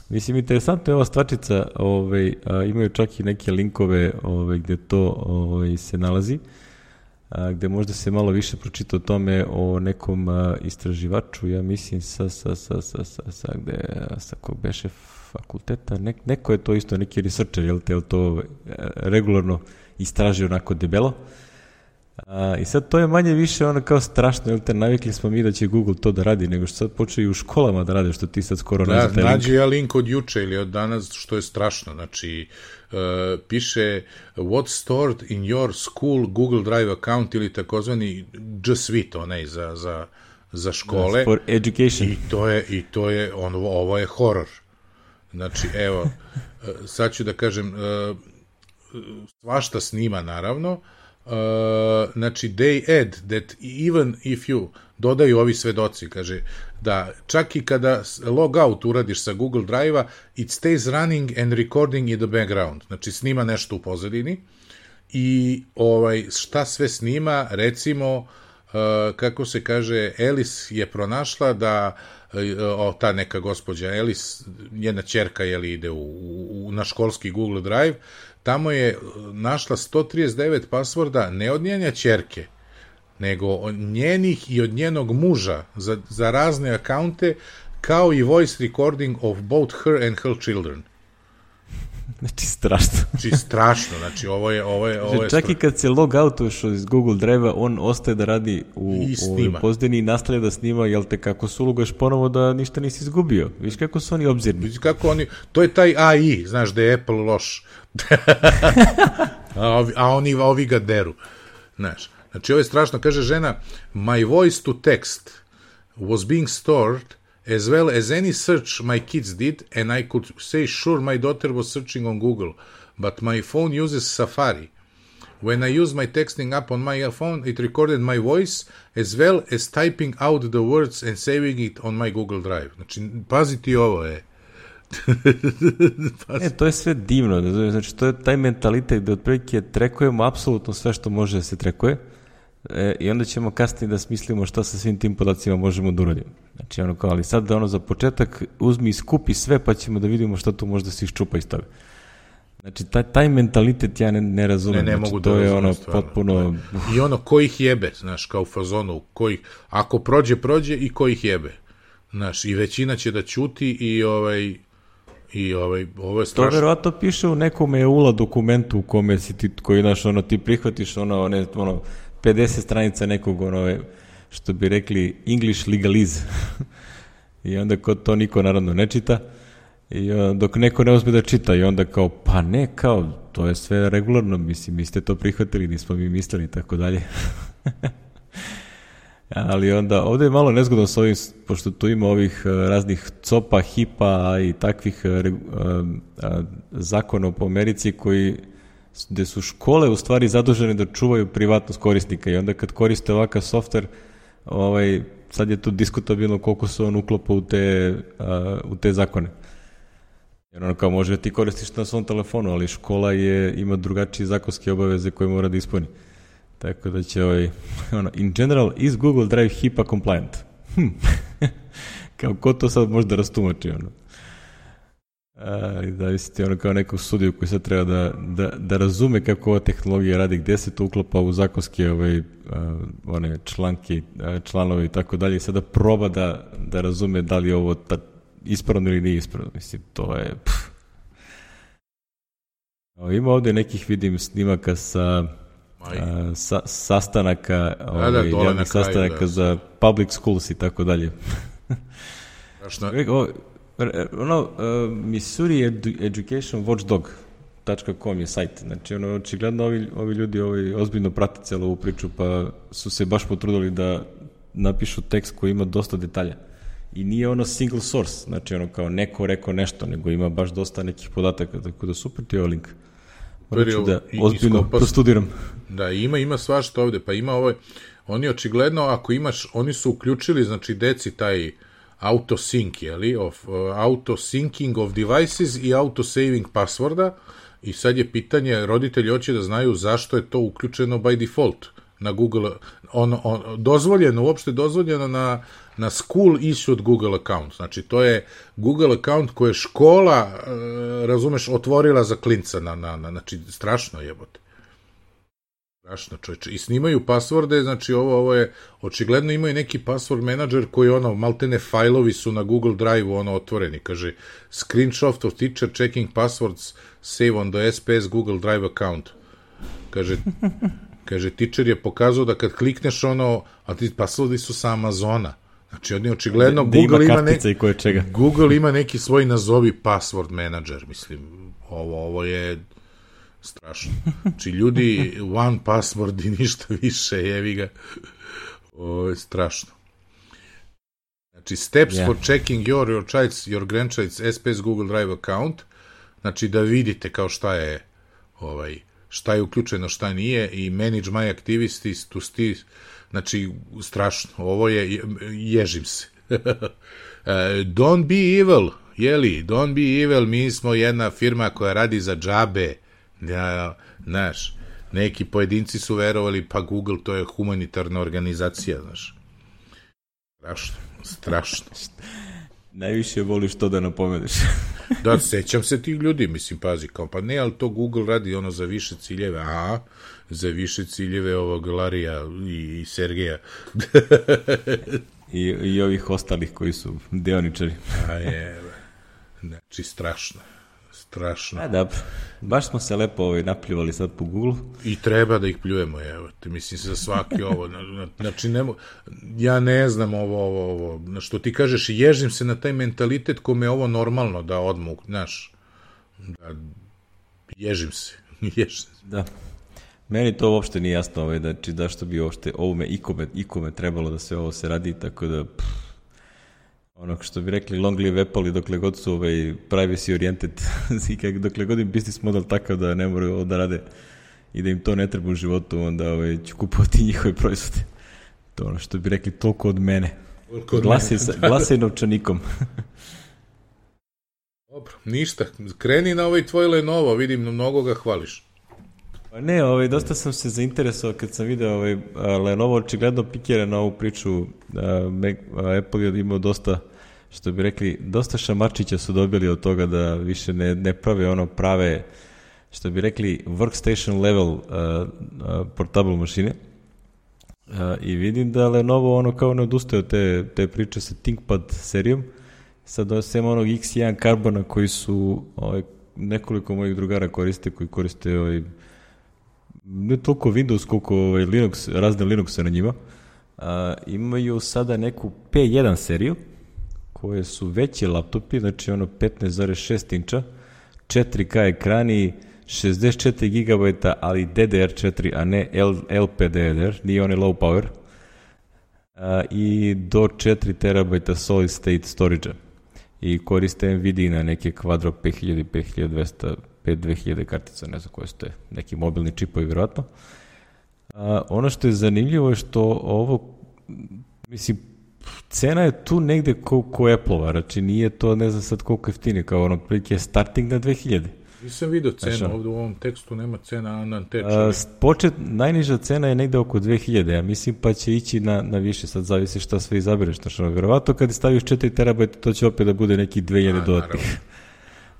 Mislim, interesantno je ova stvačica, imaju čak i neke linkove gde to se nalazi, gde možda se malo više pročita o tome o nekom istraživaču, ja mislim sa kog beše fakulteta, neko je to isto neki researcher, jel to regularno istraži onako debelo. I sad to je manje više ono kao strašno, jel te, navikli smo mi da će Google to da radi, nego što sad počeo i u školama da rade, što ti sad skoro nađe taj link. Nađe ja link od juče ili od danas, što je strašno, znači piše what's stored in your school Google Drive account ili takozvani G Suite, onaj za škole. For education. I to je ovo je horor. Znači, evo, sad ću da kažem, svašta snima, naravno. Znači, they add that even if you, dodaju ovi svedoci, kaže, da čak i kada log out uradiš sa Google Drive-a, it stays running and recording in the background. Znači, snima nešto u pozadini i šta sve snima, recimo, kako se kaže, Alice je pronašla da ta neka gospođa Alice, njena ćerka ide na školski Google Drive, tamo je našla 139 pasvorda ne od njene ćerke, nego od njenih i od njenog muža za razne akaunte, kao i voice recording of both her and her children. Znači, strašno. Znači, ovo je čak i kad se log outuješ iz Google Drive-a, on ostaje da radi u pozdini i nastavlja da snima, jel te, kako se ulogaš ponovo da ništa nisi izgubio. Viš kako su oni obzirni. Viš kako oni, to je taj AI, znaš da je Apple loš. a ovi ga deru. Znaš, znači, ovo je strašno, kaže žena, my voice to text was being stored as well as any search my kids did, and I could say sure my daughter was searching on Google, but my phone uses Safari. When I use my texting app on my phone, it recorded my voice as well as typing out the words and saving it on my Google Drive. Znači, paziti ovo je. To je sve divno, znači to je taj mentalitet da otprilike trekujemo apsolutno sve što može da se trekuje i onda ćemo kasnije da smislimo šta sa svim tim podacima možemo da uradimo. Znači, ali sad za početak uzmi i skupi sve pa ćemo da vidimo šta tu možda se iščupa iz toga. Znači, taj mentalitet ja ne razumem. Ne znači, mogu to da je razumem, potpuno... I ko ih jebe, znaš, kao u fazonu, ako prođe i ko ih jebe. Znaš, i većina će da ćuti i ovo je strašno. To verovatno piše u nekom EULA dokumentu u kome si ti, koji, znaš, ti prihvatiš 50 stranica nekog, što bi rekli English legalize. I onda to niko naravno ne čita. I dok neko ne uzme da čita i onda kao, pa ne, kao, to je sve regularno, mislim, vi ste to prihvatili, nismo mi mislili i tako dalje. Ali onda, ovde je malo nezgodno s ovim, pošto tu ima ovih raznih COPA, HIPA i takvih zakona po Americi gde su škole u stvari zadužene da čuvaju privatnost korisnika i onda kad koriste ovakav softver, sad je to diskutabilno koliko se on uklopa u te zakone. Jer kao može ti koristiš na svom telefonu, ali škola ima drugačije zakonske obaveze koje mora da ispuni. Tako da će in general, is Google Drive HIPAA compliant? Kao ko to sad može da rastumači, Zavisiti kao nekog sudiju koji sad treba da razume kako ova tehnologija radi, gde se to uklopa u zakonske one članke, članove i tako dalje, i sada proba da razume da li je ovo ispravno ili nije ispravno. Mislim, to je... Ima ovde nekih, vidim, snimaka sa sastanaka, javnih sastanaka za public schools i tako dalje. Missouri Education Watchdog.com je sajt. Znači, očigledno ovi ljudi ozbiljno prate celu ovu priču, pa su se baš potrudili da napišu tekst koji ima dosta detalja i nije ono single source, znači ono kao neko rekao nešto, nego ima baš dosta nekih podataka, tako da super ti je ovaj link. Moram ću da ozbiljno prostudiram. Da, ima svašta ovde, pa ima ovaj, oni očigledno, ako imaš, oni su uključili, znači deci taj auto-sync, jeli, auto-syncing of devices i auto-saving passworda, i sad je pitanje, roditelji hoće da znaju zašto je to uključeno by default na Google, dozvoljeno, uopšte dozvoljeno na school issued Google account. Znači, to je Google account koje je škola, razumeš, otvorila za klinca, znači, strašno jebote. Strašno, čovječe. I snimaju passworde, znači, ovo je, očigledno imaju neki password manager koji, maltene fajlovi su na Google Drive-u, otvoreni, kaže, screenshot of teacher checking passwords save on the SPS Google Drive account. Kaže, teacher je pokazao da kad klikneš a ti passwordi su sa Amazona. Znači, oni očigledno, Google ima neki svoj nazovi password manager, mislim, ovo je strašno. Znači, ljudi, one password i ništa više, jevi ga. Ovo je strašno. Znači, steps for checking your grandchild's SPS Google Drive account, znači, da vidite kao šta je uključeno, šta nije, i manage my activities to steer, znači, strašno, ovo je, ježim se. Don't be evil, jeli, don't be evil, mi smo jedna firma koja radi za džabe, znaš, neki pojedinci su verovali, pa Google, to je humanitarna organizacija, znaš. Strašno. Najviše voliš to da napomeneš. Da, sećam se tih ljudi, mislim, pazi, kao, pa ne, ali to Google radi za više ciljeve, za više ciljeve ovog Larija i Sergeja. I ovih ostalih koji su deoničari. Znači, strašno. Dobro. Baš smo se lepo napljuvali sad po Google. I treba da ih pljujemo, evo. Mislim, za svaki ovo. Znači, ja ne znam ovo. Što ti kažeš, ježim se na taj mentalitet kome je ovo normalno da odmah, znaš. Ježim se. Da. Meni to uopšte nije jasno, znači, zašto bi uopšte ovome ikome trebalo da sve ovo se radi, tako da... Ono što bi rekli long live Apple, i dokle god su privacy oriented i dokle god im business model takav da ne moraju ovo da rade i da im to ne treba u životu, onda ću kupovati njihove proizvode. To ono što bi rekli, toliko od mene. Glasaj novčanikom. Dobro, ništa. Kreni na tvoj Lenovo, vidim, mnogo ga hvališ. Ne, dosta sam se zainteresovao kad sam video Lenovo očigledno pikira na ovu priču. Apple je imao dosta, što bi rekli, dosta šamarčića su dobili od toga da više ne prave prave, što bi rekli, workstation level portable mašine. I vidim da Lenovo kao ne odustaje od te priče sa ThinkPad serijom. Sad sem onog X1 Carbona koji su nekoliko mojih drugara koji koriste ne toliko Windows koliko Linux, razne Linuxe na njima. Imaju sada neku P1 seriju koje su veći laptopi, znači 15,6 inča, 4K ekrani, 64 GB, ali DDR4, a ne LPDDR, nije low power, i do 4 TB solid state storage-a. I koriste NVIDIA na neke Quadro 5000, 5200, 5000 kartica, ne znam koje su te, neki mobilni čipovi vjerojatno. Ono što je zanimljivo je što ovo, mislim, cena je tu negde ko Apple-ova, znači nije to, ne znam sad koliko jeftine, kao prilike starting na 2000. Nisam vidio cenu, ovdje u ovom tekstu nema cena na te najniža cena je negde oko 2000, ja mislim, pa će ići na više, sad zavisi šta sve izabereš, znači vjerovatno kad staviš 4 terabajta, to će opet da bude neki 2000 dodatnih.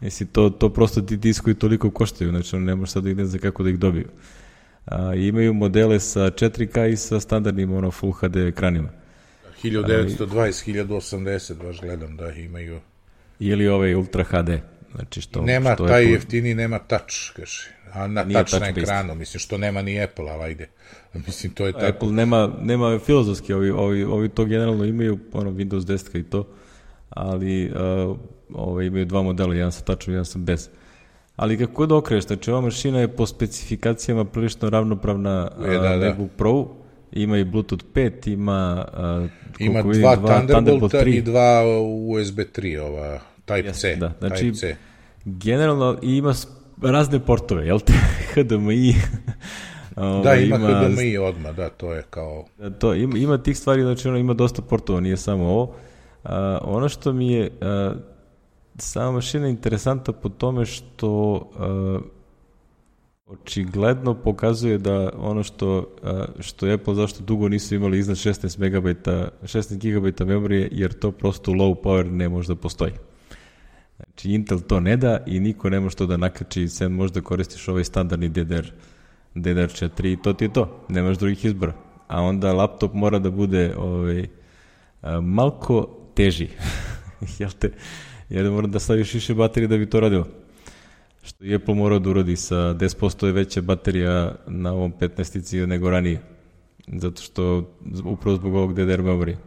Mislim, to prosto ti diskovi toliko koštaju, znači ne može sad da ih ne zna kako da ih dobiju. Imaju modele sa 4K i sa standardnim Full HD ekranima. 1920, 1080, baš gledam da imaju. Ili Ultra HD. Znači nema taj jeftini, nema touch, kaže. A na touch na ekranu, mislim, što nema ni Apple, ali ajde. Mislim, to je tako. Apple nema filozofski, ovi to generalno imaju, Windows 10 i to, ali imaju dva modela, jedan sa touchom, jedan sa bez. Ali kako da okreneš, znači ova mašina je po specifikacijama prilično ravnopravna MacBook Pro ima i Bluetooth 5, ima... ima dva Thunderbolta i dva USB 3, ova Type-C. Da, znači, generalno ima razne portove, jel te? HDMI... Da, ima HDMI odmah, da, to je kao... To, ima tih stvari, znači ima dosta portova, nije samo ovo. Ono što mi je sama mašina interesantna po tome što očigledno pokazuje da ono što Apple zašto dugo nisu imali iznad 16 GB memorije, jer to prosto low power ne može da postoji. Znači Intel to ne da i niko ne može to da nakači, sem možda koristiš ovaj standardni DDR4 i to ti je to, nemaš drugih izbora. A onda laptop mora da bude malko teži, jel te? Jer mora da staviš više baterije da bi to radilo. Što je Apple morao da uradi sa 10% je veća baterija na ovom 15-ici nego ranije. Zato što, upravo zbog ovog DDR memorije.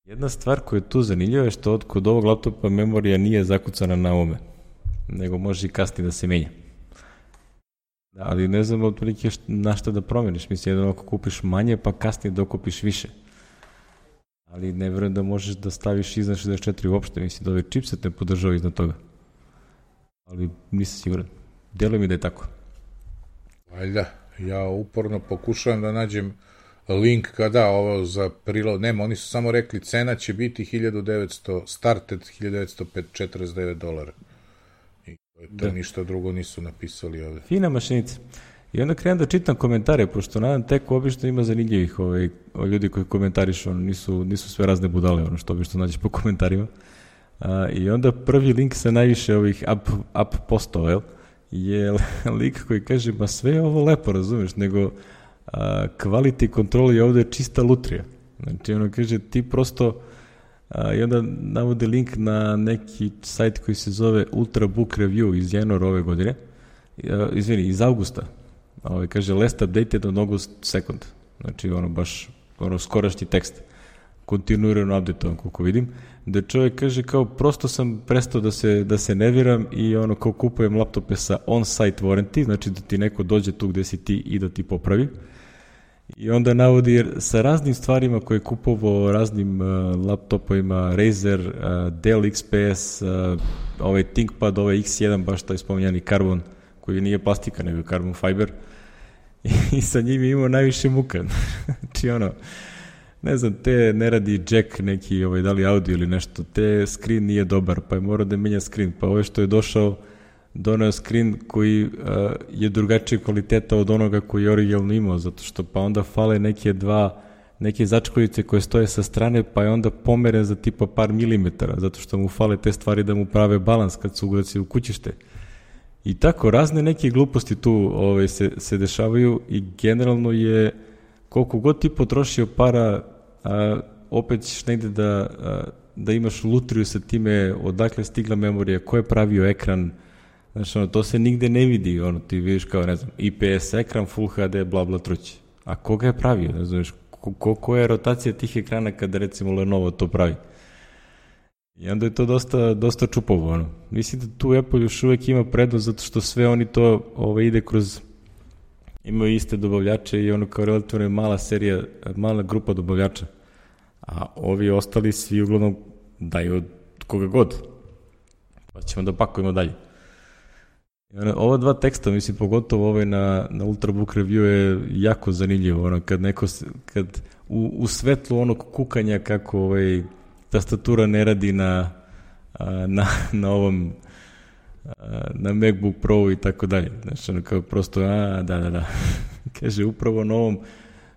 Jedna stvar koja je tu zanimljiva je što kod ovog laptopa memorija nije zakucana na ovome, nego može i kasnije da se menja. Ali ne znam otprilike na šta da promeniš. Mislim, jedno ako kupiš manje, pa kasnije dokupiš više. Ali ne verujem da možeš da staviš iznad 64 uopšte. Mislim da ovaj chipset ne podržava iznad toga. Ali nisam siguran. Deluje mi da je tako. Valjda. Ja uporno pokušavam da nađem link kada ovo za prilog. Nema, oni su samo rekli cena će biti started $1949. To ništa drugo nisu napisali ovde. Fina mašinica. I onda krenem da čitam komentare, pošto nadam tek obično ima zanimljivih ljudi koji komentarišu, nisu sve razne budale, ono što obično nađeš po komentarima. I onda prvi link sa najviše ovih up postova, je lik koji kaže, ma sve je ovo lepo, razumeš, nego quality control je ovde čista lutrija. Znači, ono kaže, ti prosto... I onda navode link na neki sajt koji se zove Ultrabook Review iz januara ove godine, iz avgusta. Kaže, last updated on August 2nd. Znači, baš skorašnji tekst. Kontinuirano update, koliko vidim. Da čovjek kaže, kao, prosto sam prestao da se nerviram i kao kupujem laptope sa on-site warranty, znači da ti neko dođe tu gde si ti i da ti popravi. I onda navodi sa raznim stvarima koje je kupovao, raznim laptopovima, Razer, Dell XPS, ovaj ThinkPad, ovaj X1, baš taj spominjani Carbon, koji nije plastika, nego Carbon Fiber. I sa njim je imao najviše muka. Znači ne znam, te ne radi jack neki, da li audio ili nešto, te screen nije dobar, pa je morao da menja screen, pa ovo što je doneo screen koji je drugačije kvaliteta od onoga koji je originalno imao, zato što pa onda fale neke začkoljice koje stoje sa strane, pa je onda pomeren za tipa par milimetara, zato što mu fale te stvari da mu prave balans kad se uglasi u kućište. I tako, razne neke gluposti tu se dešavaju i generalno je, koliko god ti potrošio para, opet ćeš negde da imaš lutriju sa time odakle stigla memorija, ko je pravio ekran. Znači, to se nigde ne vidi, ti vidiš kao, ne znam, IPS ekran, Full HD, bla bla truć. A ko ga je pravio, ne znaš, koja je rotacija tih ekrana kada recimo Lenovo to pravi. I onda je to dosta čupovo, Mislim da tu Apple još uvek ima prednost, zato što sve oni to ide kroz, imaju iste dobavljače i kao relativno mala serija, mala grupa dobavljača. A ovi ostali svi uglavnom daju od koga god. Pa ćemo da pakujemo dalje. Ova dva teksta, mislim, pogotovo ovaj na Ultrabook Review je jako zanimljivo, kad u svetlu onog kukanja kako tastatura ne radi na ovom na MacBook Pro i tako dalje. Znači, kao prosto, da. Kaže, upravo na ovom,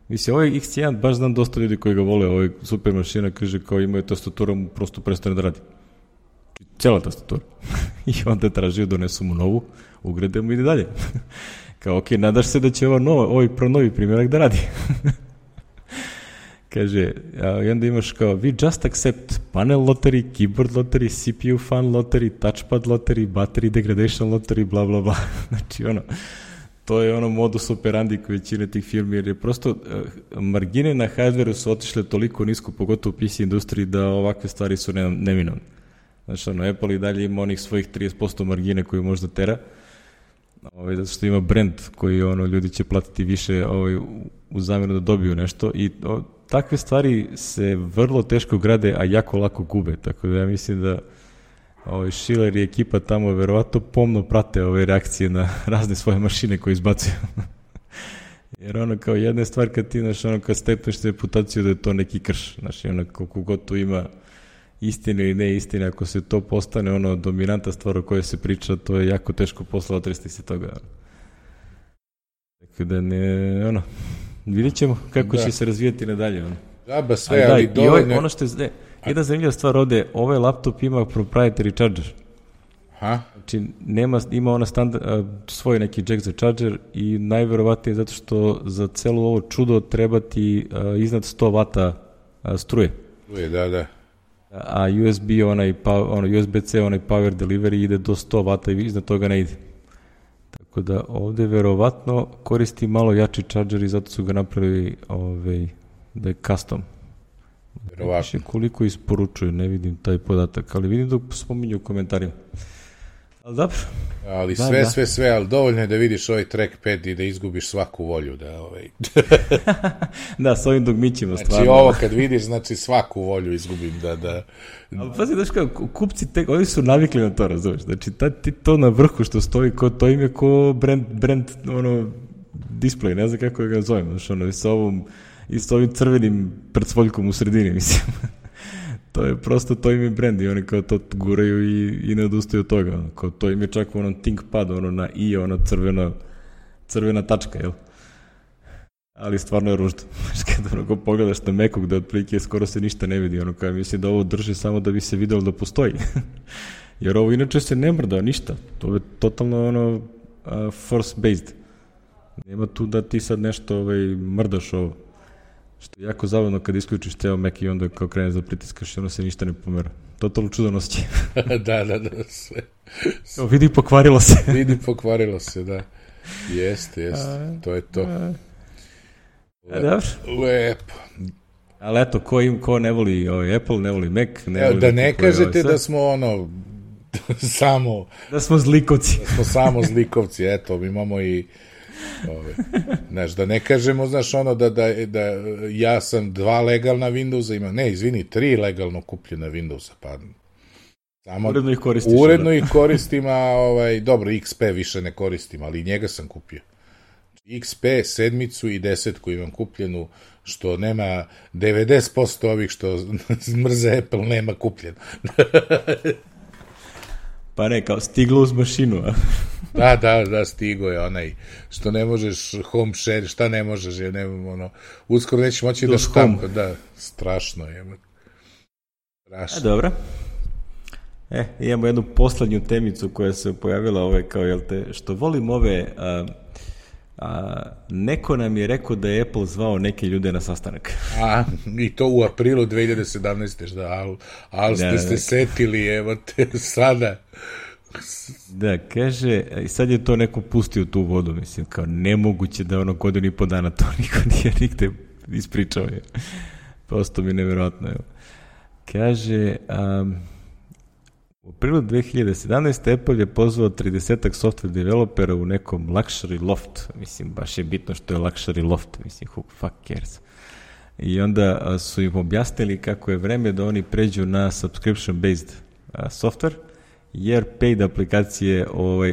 mislim, ovaj X1, baš znam dosta ljudi koji ga vole, ovaj super mašina, kaže, kao imaju tastatura, prosto prestane da radi. Cijela tastatura. I onda tražio, donesu mu novu, ugrade mu i ide dalje. Kao, ok, nadaš se da će ovaj novi primjerak da radi. Kaže, i onda imaš kao, we just accept panel lottery, keyboard lottery, CPU fan lottery, touchpad lottery, battery degradation lottery, bla, bla, bla. Znači, to je modus operandi koji većina tih firmi, jer je prosto margine na hardwareu su otišle toliko nisko, pogotovo u PC industriji, da ovakve stvari su neminovne. Znači, Apple i dalje ima onih svojih 30% margine koju možda tera zato što ima brand koji ljudi će platiti više u zamjenu da dobiju nešto i takve stvari se vrlo teško grade, a jako lako gube, tako da ja mislim da Schiller i ekipa tamo verovatno pomno prate ove reakcije na razne svoje mašine koje izbacuju. Jer kao jedna je stvar kad ti, kad stepneš reputaciju da je to neki krš, koliko god tu ima istine ili ne istine, ako se to postane dominanta stvar o kojoj se priča, to je jako teško posla otresti se toga. Tako da ne, vidjet ćemo kako će se razvijati nadalje. Džaba sve, ali dovoljno... Ono što je, jedna zanimljiva stvar ovde, ovaj laptop ima proprietary charger. Znači, ima ona svoj neki jack za charger i najverovatnije zato što za celo ovo čudo treba ti iznad 100 vata struje. Struje, da. A USB, USB-C, onaj power delivery ide do 100 vata i iznad toga ne ide. Tako da ovde verovatno koristi malo jači charger i zato su ga napravili da je custom. Verovatno. Koliko isporučuju, ne vidim taj podatak, ali vidim dok spominju u komentarima. Ali dobro. Ali sve, ali dovoljno je da vidiš ovaj trackpad i da izgubiš svaku volju. Da, s ovim dogmićima stvarno. Znači ovo kad vidiš, znači svaku volju izgubim, da... Ali pazi, znaš kao, kupci, oni su navikli na to, razumiješ. Znači, ti to na vrhu što stoji, to im je ko brand display, ne znam kako ga zovem, znaš, i s ovim crvenim predsvoljkom u sredini, mislim. To je prosto, to im je brand i oni kao to guraju i ne odustaju od toga. Kao to im je čak u ThinkPad, na i, crvena tačka, jel? Ali stvarno je ružno. Kad pogledaš na Macu gde otprilike skoro se ništa ne vidi, kao mislim da ovo drži samo da bi se videlo da postoji. Jer ovo inače se ne mrda ništa. To je totalno force-based. Nema tu da ti sad nešto mrdaš ovo. Što je jako zabavno kad isključiš ceo Mac i onda kao kreneš da pritiskaš i se ništa ne pomera. Totalno čudan osjećaj. Da, sve. Vidi, pokvarilo se. Da. Jeste. To je to. Lepo. Ali eto, ko ne voli Apple, ne voli Mac, ne voli... Da ne kažete da smo samo... Da smo zlikovci. Da smo samo zlikovci, eto, mi imamo i... Znaš, da ne kažemo, znaš, da ja sam 2 legalna Windowsa imam, ne, izvini, 3 legalno kupljena Windowsa, pa samo uredno ih koristiš. Uredno ih koristim, a dobro, XP više ne koristim, ali i njega sam kupio. XP, 7 i 10 imam kupljenu, što nema 90% ovih što mrze Apple, nema kupljeno. Pa ne, kao stiglo uz mašinu, a? Da, stigo je onaj, što ne možeš home share, šta ne možeš, uskoro neće moći da štampa, da, strašno je. Strašno. Dobro. Imamo jednu poslednju temicu koja se pojavila, kao, što volim neko nam je rekao da je Apple zvao neke ljude na sastanak. I to u aprilu 2017. Ali ste se setili, evo te sada. Da, kaže, i sad je to neko pustio tu vodu, mislim, kao nemoguće da godinu i po dana to niko nije nigde ispričao je. Prosto mi nevjerojatno, evo. Kaže, u aprilu 2017. Apple je pozvao 30-ak software developera u nekom luxury loft. Mislim, baš je bitno što je luxury loft. Mislim, who fuck cares. I onda su im objasnili kako je vreme da oni pređu na subscription-based software, jer paid aplikacije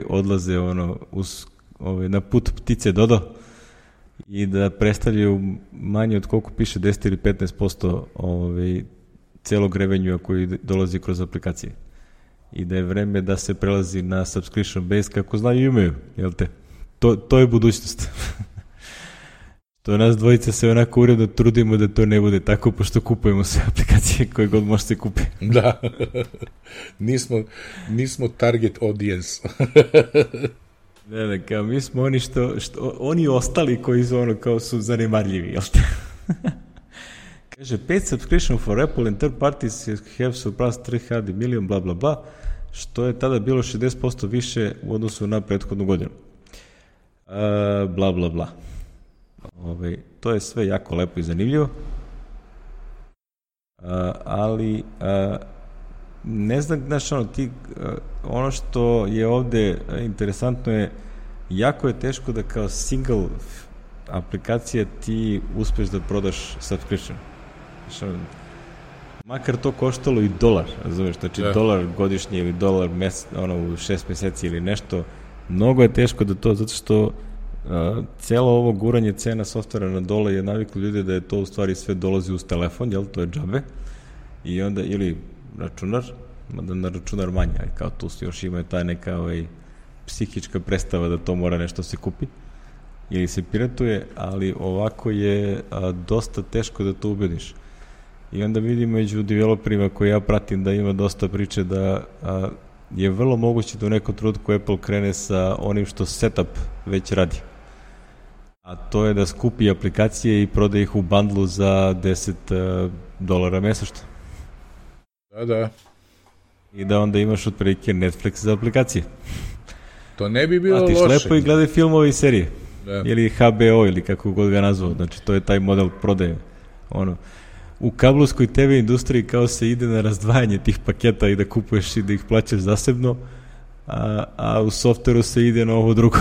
odlaze na put ptice Dodo i da predstavljaju manje od koliko piše 10 ili 15% celog revenjua koji dolazi kroz aplikacije. I da je vreme da se prelazi na subscription base kako znaju i umeju, jel te? To je budućnost. To nas dvojica se onako uredno trudimo da to ne bude tako, pošto kupujemo sve aplikacije koje god može se kupi. Da. Nismo target audience. Ne, kao mi smo oni oni ostali koji su kao su zanemarljivi, jel te? Kaže, paid subscription for Apple and third parties have surpassed 300 million, bla, bla, bla, što je tada bilo 60% više u odnosu na prethodnu godinu. Bla, bla, bla. To je sve jako lepo i zanimljivo, ali ne znam, znaš, ono što je ovde interesantno je jako je teško da kao single aplikacija ti uspeš da prodaš subscription. Makar to koštalo i $1, razumeš, znači $1 godišnje ili $1 u 6 meseci ili nešto, mnogo je teško da to, zato što cijelo ovo guranje cena softvera na dole je naviklo ljudi da je to u stvari sve dolazi uz telefon, jel, to je džabe, i onda, ili računar, mada na računar manje, ali kao tu još ima taj neka psihička predstava da to mora nešto se kupi, ili se piratuje, ali ovako je dosta teško da to ubediš. I onda vidim među developerima koje ja pratim da ima dosta priče da je vrlo moguće da u nekom trenutku Apple krene sa onim što setup već radi. A to je da skupi aplikacije i prodaje ih u bundlu za $10 mesečno. Da. I da onda imaš otprilike Netflix za aplikacije. To ne bi bilo loše. Platiš lepo i gledaj filmove i serije. Da. Ili HBO ili kako god ga nazvao. Znači to je taj model prodaje. U kablovskoj TV industriji kao se ide na razdvajanje tih paketa i da kupuješ i da ih plaćaš zasebno, a u softveru se ide na ovo drugo,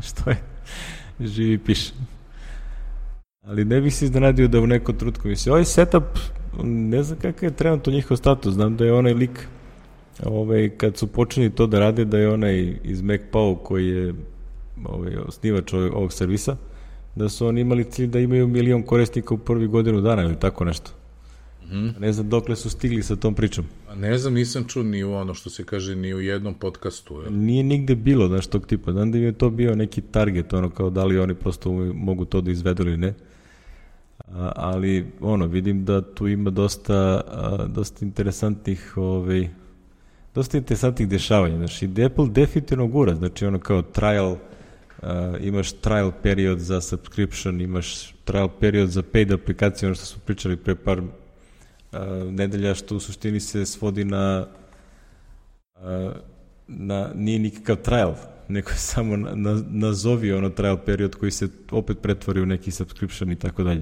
što je živi piše. Ali ne bih se iznenadio da u nekom trenutku misli, ovaj setup, ne znam kakav je trenutno njihov status, znam da je onaj lik, kad su počeli to da rade, da je onaj iz MacPow koji je osnivač ovog servisa, da su oni imali cilj da imaju 1 milion korisnika u prvi godinu dana ili tako nešto. Ne znam dokle su stigli sa tom pričom. Ne znam, nisam čuo ni u ono što se kaže ni u jednom podcastu. Nije nigde bilo, znaš, tog tipa. Znam da je to bio neki target, kao da li oni prosto mogu to da izvedu ili ne. Ali, vidim da tu ima dosta interesantnih dešavanja. Znači, Apple definitivno gura, znači kao trial, imaš trial period za subscription, imaš trial period za paid aplikacije, ono što smo pričali pre par nedelja, što u suštini se svodi na nije nikakav trial, nego je samo nazovi trial period koji se opet pretvori u neki subscription i tako dalje.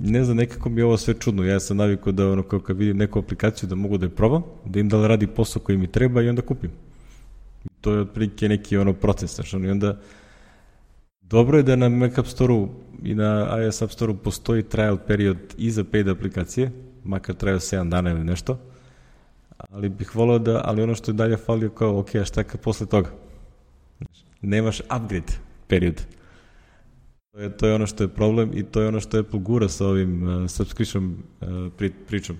Ne znam, nekako mi je ovo sve čudno. Ja sam navikao da kad vidim neku aplikaciju da mogu da je probam, da im da li radi posao koji mi treba i onda kupim. To je otprilike neki proces, znači, i onda dobro je da na Mac App Store-u i na iOS App Store-u postoji trial period i za paid aplikacije, makar traju 7 dana ili nešto, ali bih volao ali ono što je dalje falio kao, ok, a šta kad posle toga? Nemaš upgrade period. To je ono što je problem i to je ono što Apple gura sa ovim subscription pričom.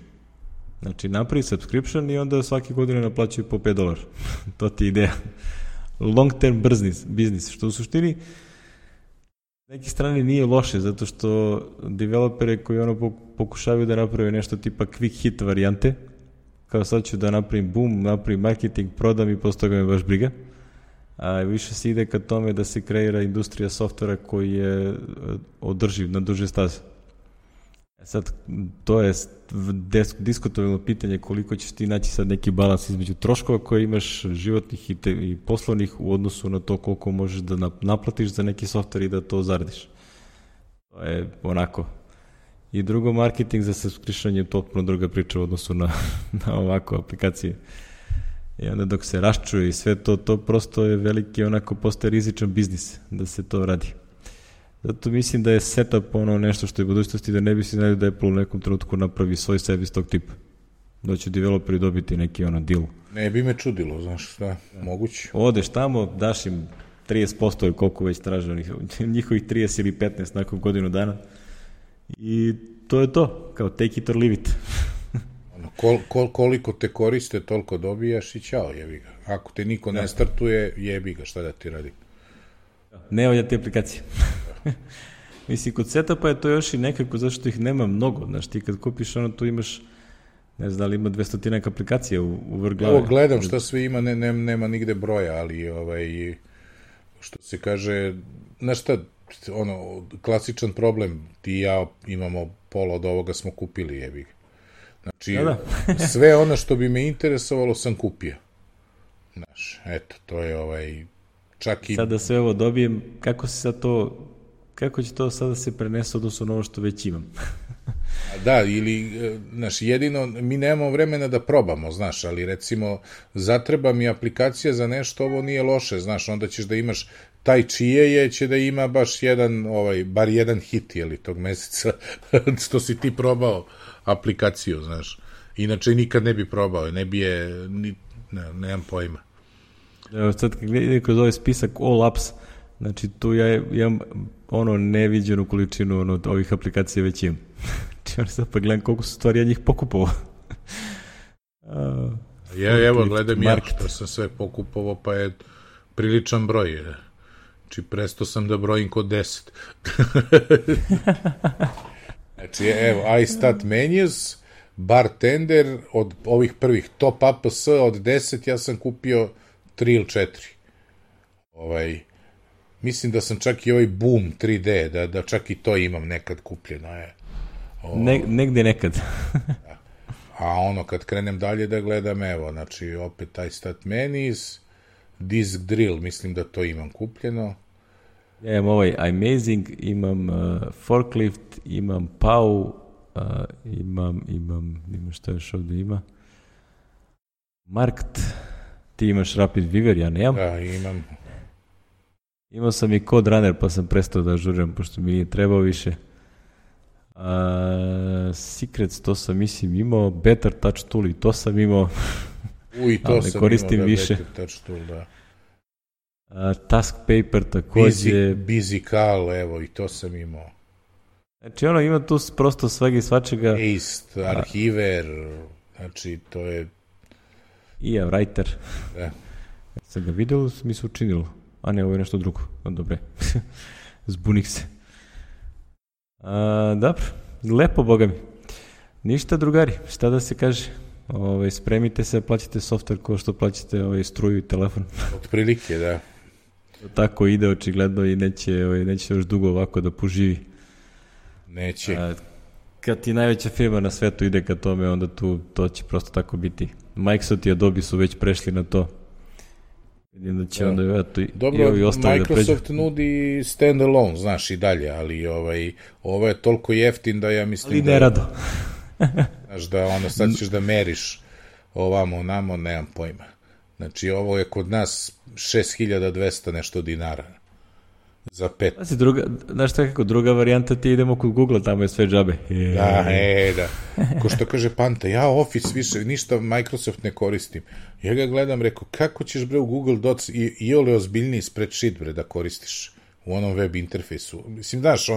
Znači, napravi subscription i onda svake godine naplaćuju po $5. To ti je ideja. Long term business, što u suštini s neke strane nije loše, zato što developere koji pokušavaju da naprave nešto tipa quick hit varijante, kao sad ću da napravim boom, napravim marketing, prodam i posle toga me baš briga. A više se ide ka tome da se kreira industrija softvera koji je održiv na duže staze. Sad, to je diskutabilno pitanje koliko ćeš ti naći sad neki balans između troškova koje imaš životnih i poslovnih u odnosu na to koliko možeš da naplatiš za neki softver i da to zaradiš. To je onako. I drugo, marketing za subscription je potpuno druga priča u odnosu na ovako aplikacije. I onda dok se raščuje i sve to prosto je veliki, postaje rizičan biznis da se to radi. Zato mislim da je setup nešto što je u budućnosti, da ne bi se znali da Apple u nekom trenutku napravi svoj servis tog tipa. Da će developeri dobiti neki deal. Ne bi me čudilo, znaš šta, moguće. Odeš tamo, daš im 30% ili koliko već traže njihovih 30 ili 15 nakon godinu dana i to je to, kao take it or leave it. Koliko te koriste, toliko dobijaš i ćao, jebi ga. Ako te niko ne startuje, jebi ga, šta da ti radi? Ne valja te aplikacije. Mislim, kod setupa je to još i nekako, zašto ih nema mnogo. Znaš, ti kad kupiš tu imaš, ne znam da li ima 200 aplikacija u vrh glave. Evo, gledam šta sve ima, nema nigde broja, ali što se kaže, znaš šta, klasičan problem, ti i ja imamo pola od ovoga smo kupili, jebi ga. Znači, sve ono što bi me interesovalo sam kupio. Znaš, eto, to je čak i... Sada sve ovo dobijem, kako će to sada se prenese odnosno na ovo što već imam? Da, ili, znaš, jedino, mi nemamo vremena da probamo, znaš, ali recimo, zatreba mi aplikacija za nešto, ovo nije loše, znaš, onda ćeš da imaš taj čije je, će da ima baš jedan, bar jedan hit, jeli, tog meseca, što si ti probao aplikaciju, znaš. Inače, nikad ne bi probao, ne bi je, nemam pojma. Evo, sad kad gledam kroz ovaj spisak All Apps, znači tu ja imam neviđenu količinu ovih aplikacija već imam. Znači, sad pa gledam koliko su stvari ja njih pokupovao. Evo, gledam ja što sam sve pokupovao, pa je priličan broj. Znači, presto sam da brojim kod 10. Znači, evo, iStat Menus, Bartender, od ovih prvih Top APS od 10, ja sam kupio 3 ili 4. Mislim da sam čak i ovaj Boom 3D, da čak i to imam nekad kupljeno. Negde nekad. A kad krenem dalje da gledam, evo, znači, opet iStat Menus, Disk Drill, mislim da to imam kupljeno. Ja imam ovaj Amazing, imam Forklift, imam Pau, imam šta još ovdje ima. Markt, ti imaš Rapid Weaver, ja nemam. Da, imam. Imao sam i Code Runner, pa sam prestao da ažuriram, pošto mi nije trebao više. Secrets, to sam mislim imao, Better Touch Tool, i to sam imao. To sam koristim imao, više. Better Touch Tool, da. Task Paper takođe. Bizical, evo, i to sam imao. Znači, ima tu prosto svega i svačega. Paste, Arhiver, znači, to je... I Writer. Da. Sam ga vidio, mi se učinilo. A ne, ovo je nešto drugo. Dobre. Zbunih se. Dobro. Lepo, boga mi. Ništa, drugari. Šta da se kaže? Spremite se, plaćate software ko što plaćate struju i telefon. Otprilike, da. Tako ide očigledno i neće još dugo ovako da poživi. Neće. Kad ti najveća firma na svetu ide ka tome, onda to će prosto tako biti. Microsoft i Adobe su već prešli na to. Vidim da će onda dobro, i ovi ostali Microsoft nudi standalone, znaš, i dalje, ali ovo je toliko jeftin da ja mislim ali ne rado. Znaš, da sad ćeš da meriš ovamo, onamo, nemam pojma. Znači, ovo je kod nas 6200 nešto dinara. Za 5. Znaš šta kako, druga varijanta ti idemo kod Google, tamo je sve džabe. Da. Ko što kaže Panta, ja Office više, ništa Microsoft ne koristim. Ja ga gledam, rekao, kako ćeš bre u Google Docs i ole ozbiljniji spreadsheet bre da koristiš u onom web interfejsu. Mislim, znaš,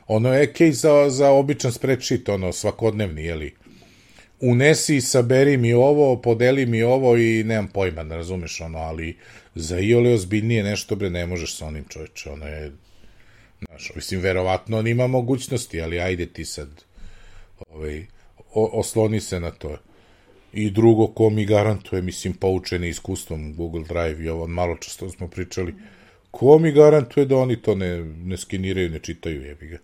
ono je case za običan spreadsheet, svakodnevni, jeli. Unesi, saberi mi ovo, podeli mi ovo i nemam pojma, ne razumeš ali za iole ozbiljnije nešto, bre, ne možeš sa onim, čoveče, je, znaš, mislim, verovatno on ima mogućnosti, ali ajde ti sad, osloni se na to. I drugo, ko mi garantuje, mislim, poučeni iskustvom Google Drive i ovo, malo često smo pričali, ko mi garantuje da oni to ne skeniraju, ne čitaju, jebi ga.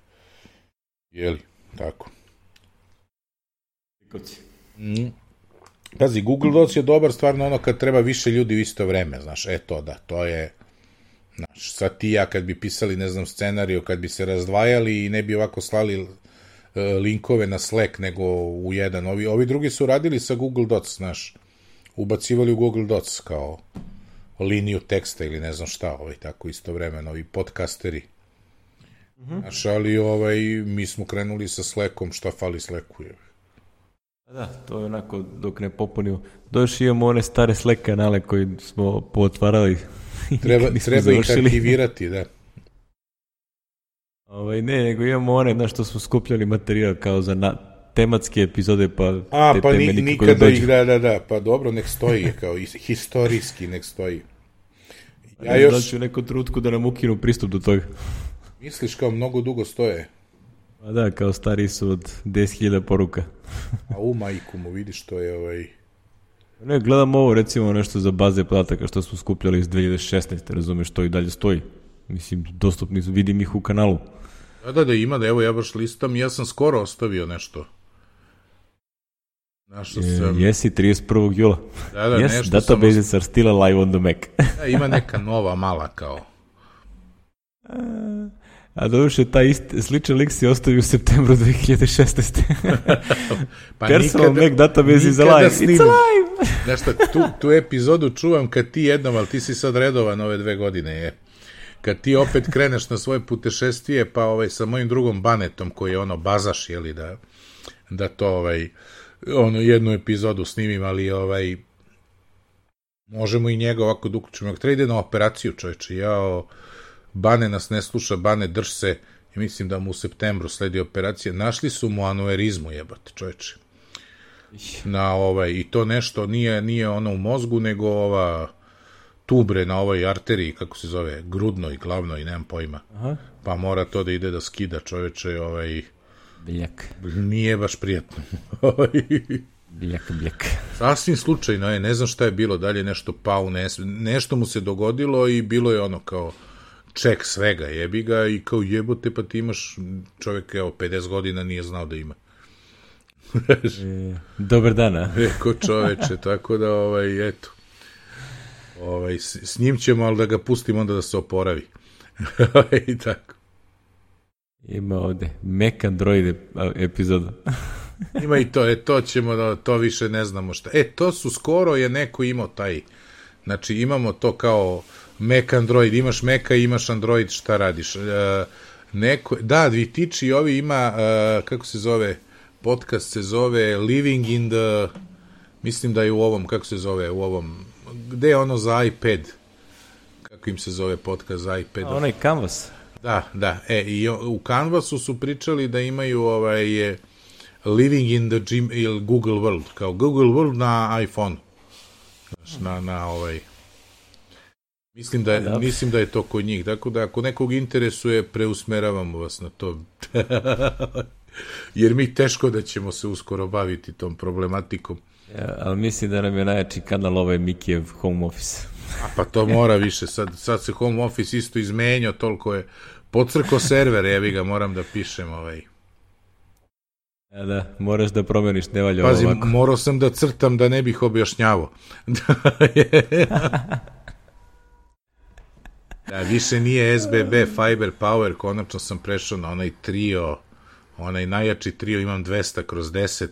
Jeli, tako. Pazi, Google Docs je dobar stvarno kad treba više ljudi u isto vreme, znaš, to je, znaš, sad ti ja kad bi pisali, ne znam, scenariju, kad bi se razdvajali i ne bi ovako slali linkove na Slack nego u jedan, ovi drugi su radili sa Google Docs, znaš, ubacivali u Google Docs kao liniju teksta ili ne znam šta, tako istovremeno, ovi podcasteri. Znaš, ali mi smo krenuli sa Slackom, šta fali Slacku je. Da, to je onako dok ne popunimo. Došli imamo one stare Slack kanale koji smo pootvarali. Treba ih aktivirati, da. Ne, nego imamo one, znaš, što smo skupljali materijal kao za tematske epizode, pa te pa teme nikada ih, da, pa dobro, nek stoji, kao historijski nek stoji. Ja još... Znači u nekom trenutku da nam ukinu pristup do toga. Misliš kao mnogo dugo stoje? Pa da, kao stariji su od 10.000 poruka. A u majku mu vidiš to je Ne, gledam ovo recimo nešto za baze podataka što smo skupljali iz 2016. Razumeš, to i dalje stoji. Mislim, dostupni su, vidim ih u kanalu. Da, ima, da evo ja baš listam, ja sam skoro ostavio nešto. Našao sam... Jesi, 31. jula. Da, yes, nešto databases are still alive on the Mac. Da, ima neka nova mala kao. A doduše, taj sličan lik si ostavio u septembru 2016. Pa Personal Mac database is alive. It's alive! Znaš šta, tu epizodu čuvam kad ti jednom, ali ti si sad redovan ove 2 godine, je. Kad ti opet kreneš na svoje putešestvije, pa sa mojim drugom Banetom, koji je bazaš, jeli, da to jednu epizodu snimim, ali možemo i njega ovako da uključimo. Treba ide na operaciju, čovječe. Bane nas ne sluša, Bane drž se, i mislim da mu u septembru sledi operacija. Našli su mu anuerizmu, jebate, čovječe. I to nešto nije ono u mozgu, nego ova tubre na ovoj arteriji, kako se zove, grudnoj, glavnoj, nemam pojma. Aha. Pa mora to da ide da skida, čoveče, Biljak. Nije baš prijatno. Biljak. Sasvim slučajno ne znam šta je bilo, dalje nešto pao, nešto mu se dogodilo i bilo je kao ček svega, jebi ga, i kao jebote, pa ti imaš, čovjek, 50 godina nije znao da ima. Dobar dana. Ko čoveče, tako da, eto. S njim ćemo, ali da ga pustimo onda da se oporavi. I tako. Ima ovde Mac Android epizoda. Ima i to, to ćemo, to više ne znamo šta. To su skoro je neko imao taj, znači imamo to kao Mac Android, imaš Maca i imaš Android, šta radiš? Da, Vitiči ovi ima, kako se zove, podcast se zove Living in the, mislim da je u ovom, kako se zove, u ovom, gde je ono za iPad, kako im se zove podcast za iPad? Onaj Canvas. Da, i u Canvasu su pričali da imaju Living in the Google World, kao Google World na iPhone. Mislim da je to kod njih, tako da ako nekog interesuje, preusmeravamo vas na to. Jer mi teško da ćemo se uskoro baviti tom problematikom. Ja, ali mislim da nam je najjači kanal Mikijev Home Office. Pa to mora više, sad se Home Office isto izmenio, toliko je pocrko server, evi ga, moram da pišem Da, moraš da promeniš, ne valja ovako. Pazi, morao sam da crtam da ne bih objašnjavao. Više nije SBB, Fiber Power, konačno sam prešao na onaj trio, onaj najjači trio, imam 200/10.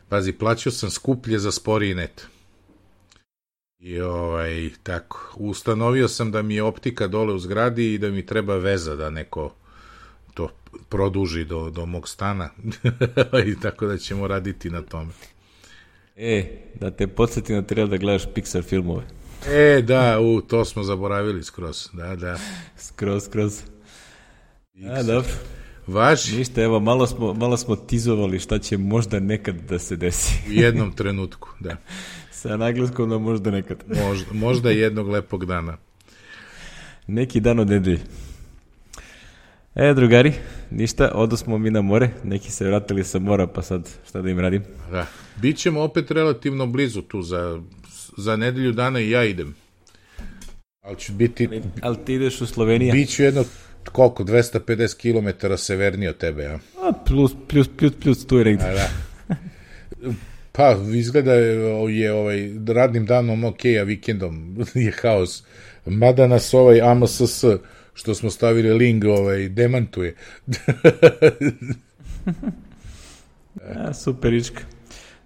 Pazi, plaćao sam skuplje za sporiji net. I tako, ustanovio sam da mi je optika dole u zgradi i da mi treba veza da neko to produži do mog stana. I tako da ćemo raditi na tome. Da te podsjetim da treba da gledaš Pixar filmove. Da, to smo zaboravili skroz. Da. Skroz. Dobro. Važi. Ništa, evo, malo smo tizovali šta će možda nekad da se desi. U jednom trenutku, da. Sa naglaskom da možda nekad. Možda jednog lepog dana. Neki dan od nedelje. Drugari, ništa, odosmo mi na more, neki se vratili sa mora, pa sad šta da im radim? Da, bićemo opet relativno blizu tu, za nedelju dana i ja idem. Ali ću biti... Ali ti ideš u Sloveniju? Biću jedno, 250 km severnije od tebe, ja? Plus, tu je negdje. Da. Pa, izgleda je radnim danom ok, a vikendom je haos. Mada nas AMSS, što smo stavili link, demantuje. Super, Ička.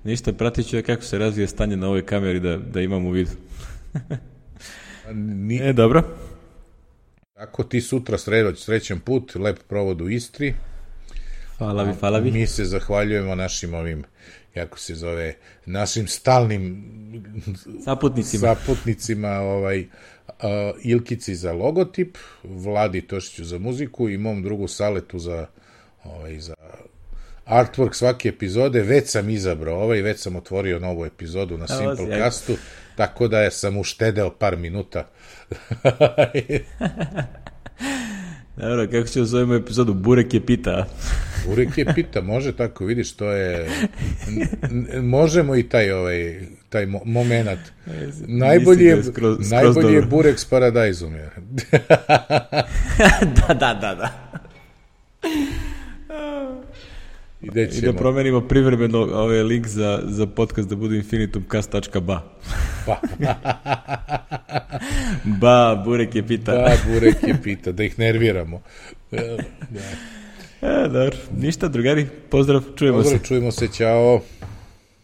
Ništa, pratit ću kako se razvije stanje na ovoj kameri da imam u vidu. Dobro. Tako, ti sutra srećan put, lep provod u Istri. Hvala vi. Mi se zahvaljujemo našim kako se zove, našim stalnim saputnicima, Ilkici za logotip, Vladi Tošiću za muziku i mom drugu Saletu za artwork svake epizode. Već sam izabrao već sam otvorio novu epizodu na Simplecastu, tako da sam uštedeo par minuta. Dobro, kako ćemo zovemo epizodu? Burek je pita. Burek je pita, može tako, vidiš, to je... Možemo i taj moment. Najbolji je Burek s Paradajzom. Da. I da promenimo privremeno link za podcast da bude infinitumcast.ba. Burek je pita. Burek je pita, da ih nerviramo. Da. Dobro, ništa drugari, pozdrav, čujemo se. Čujemo se, ćao.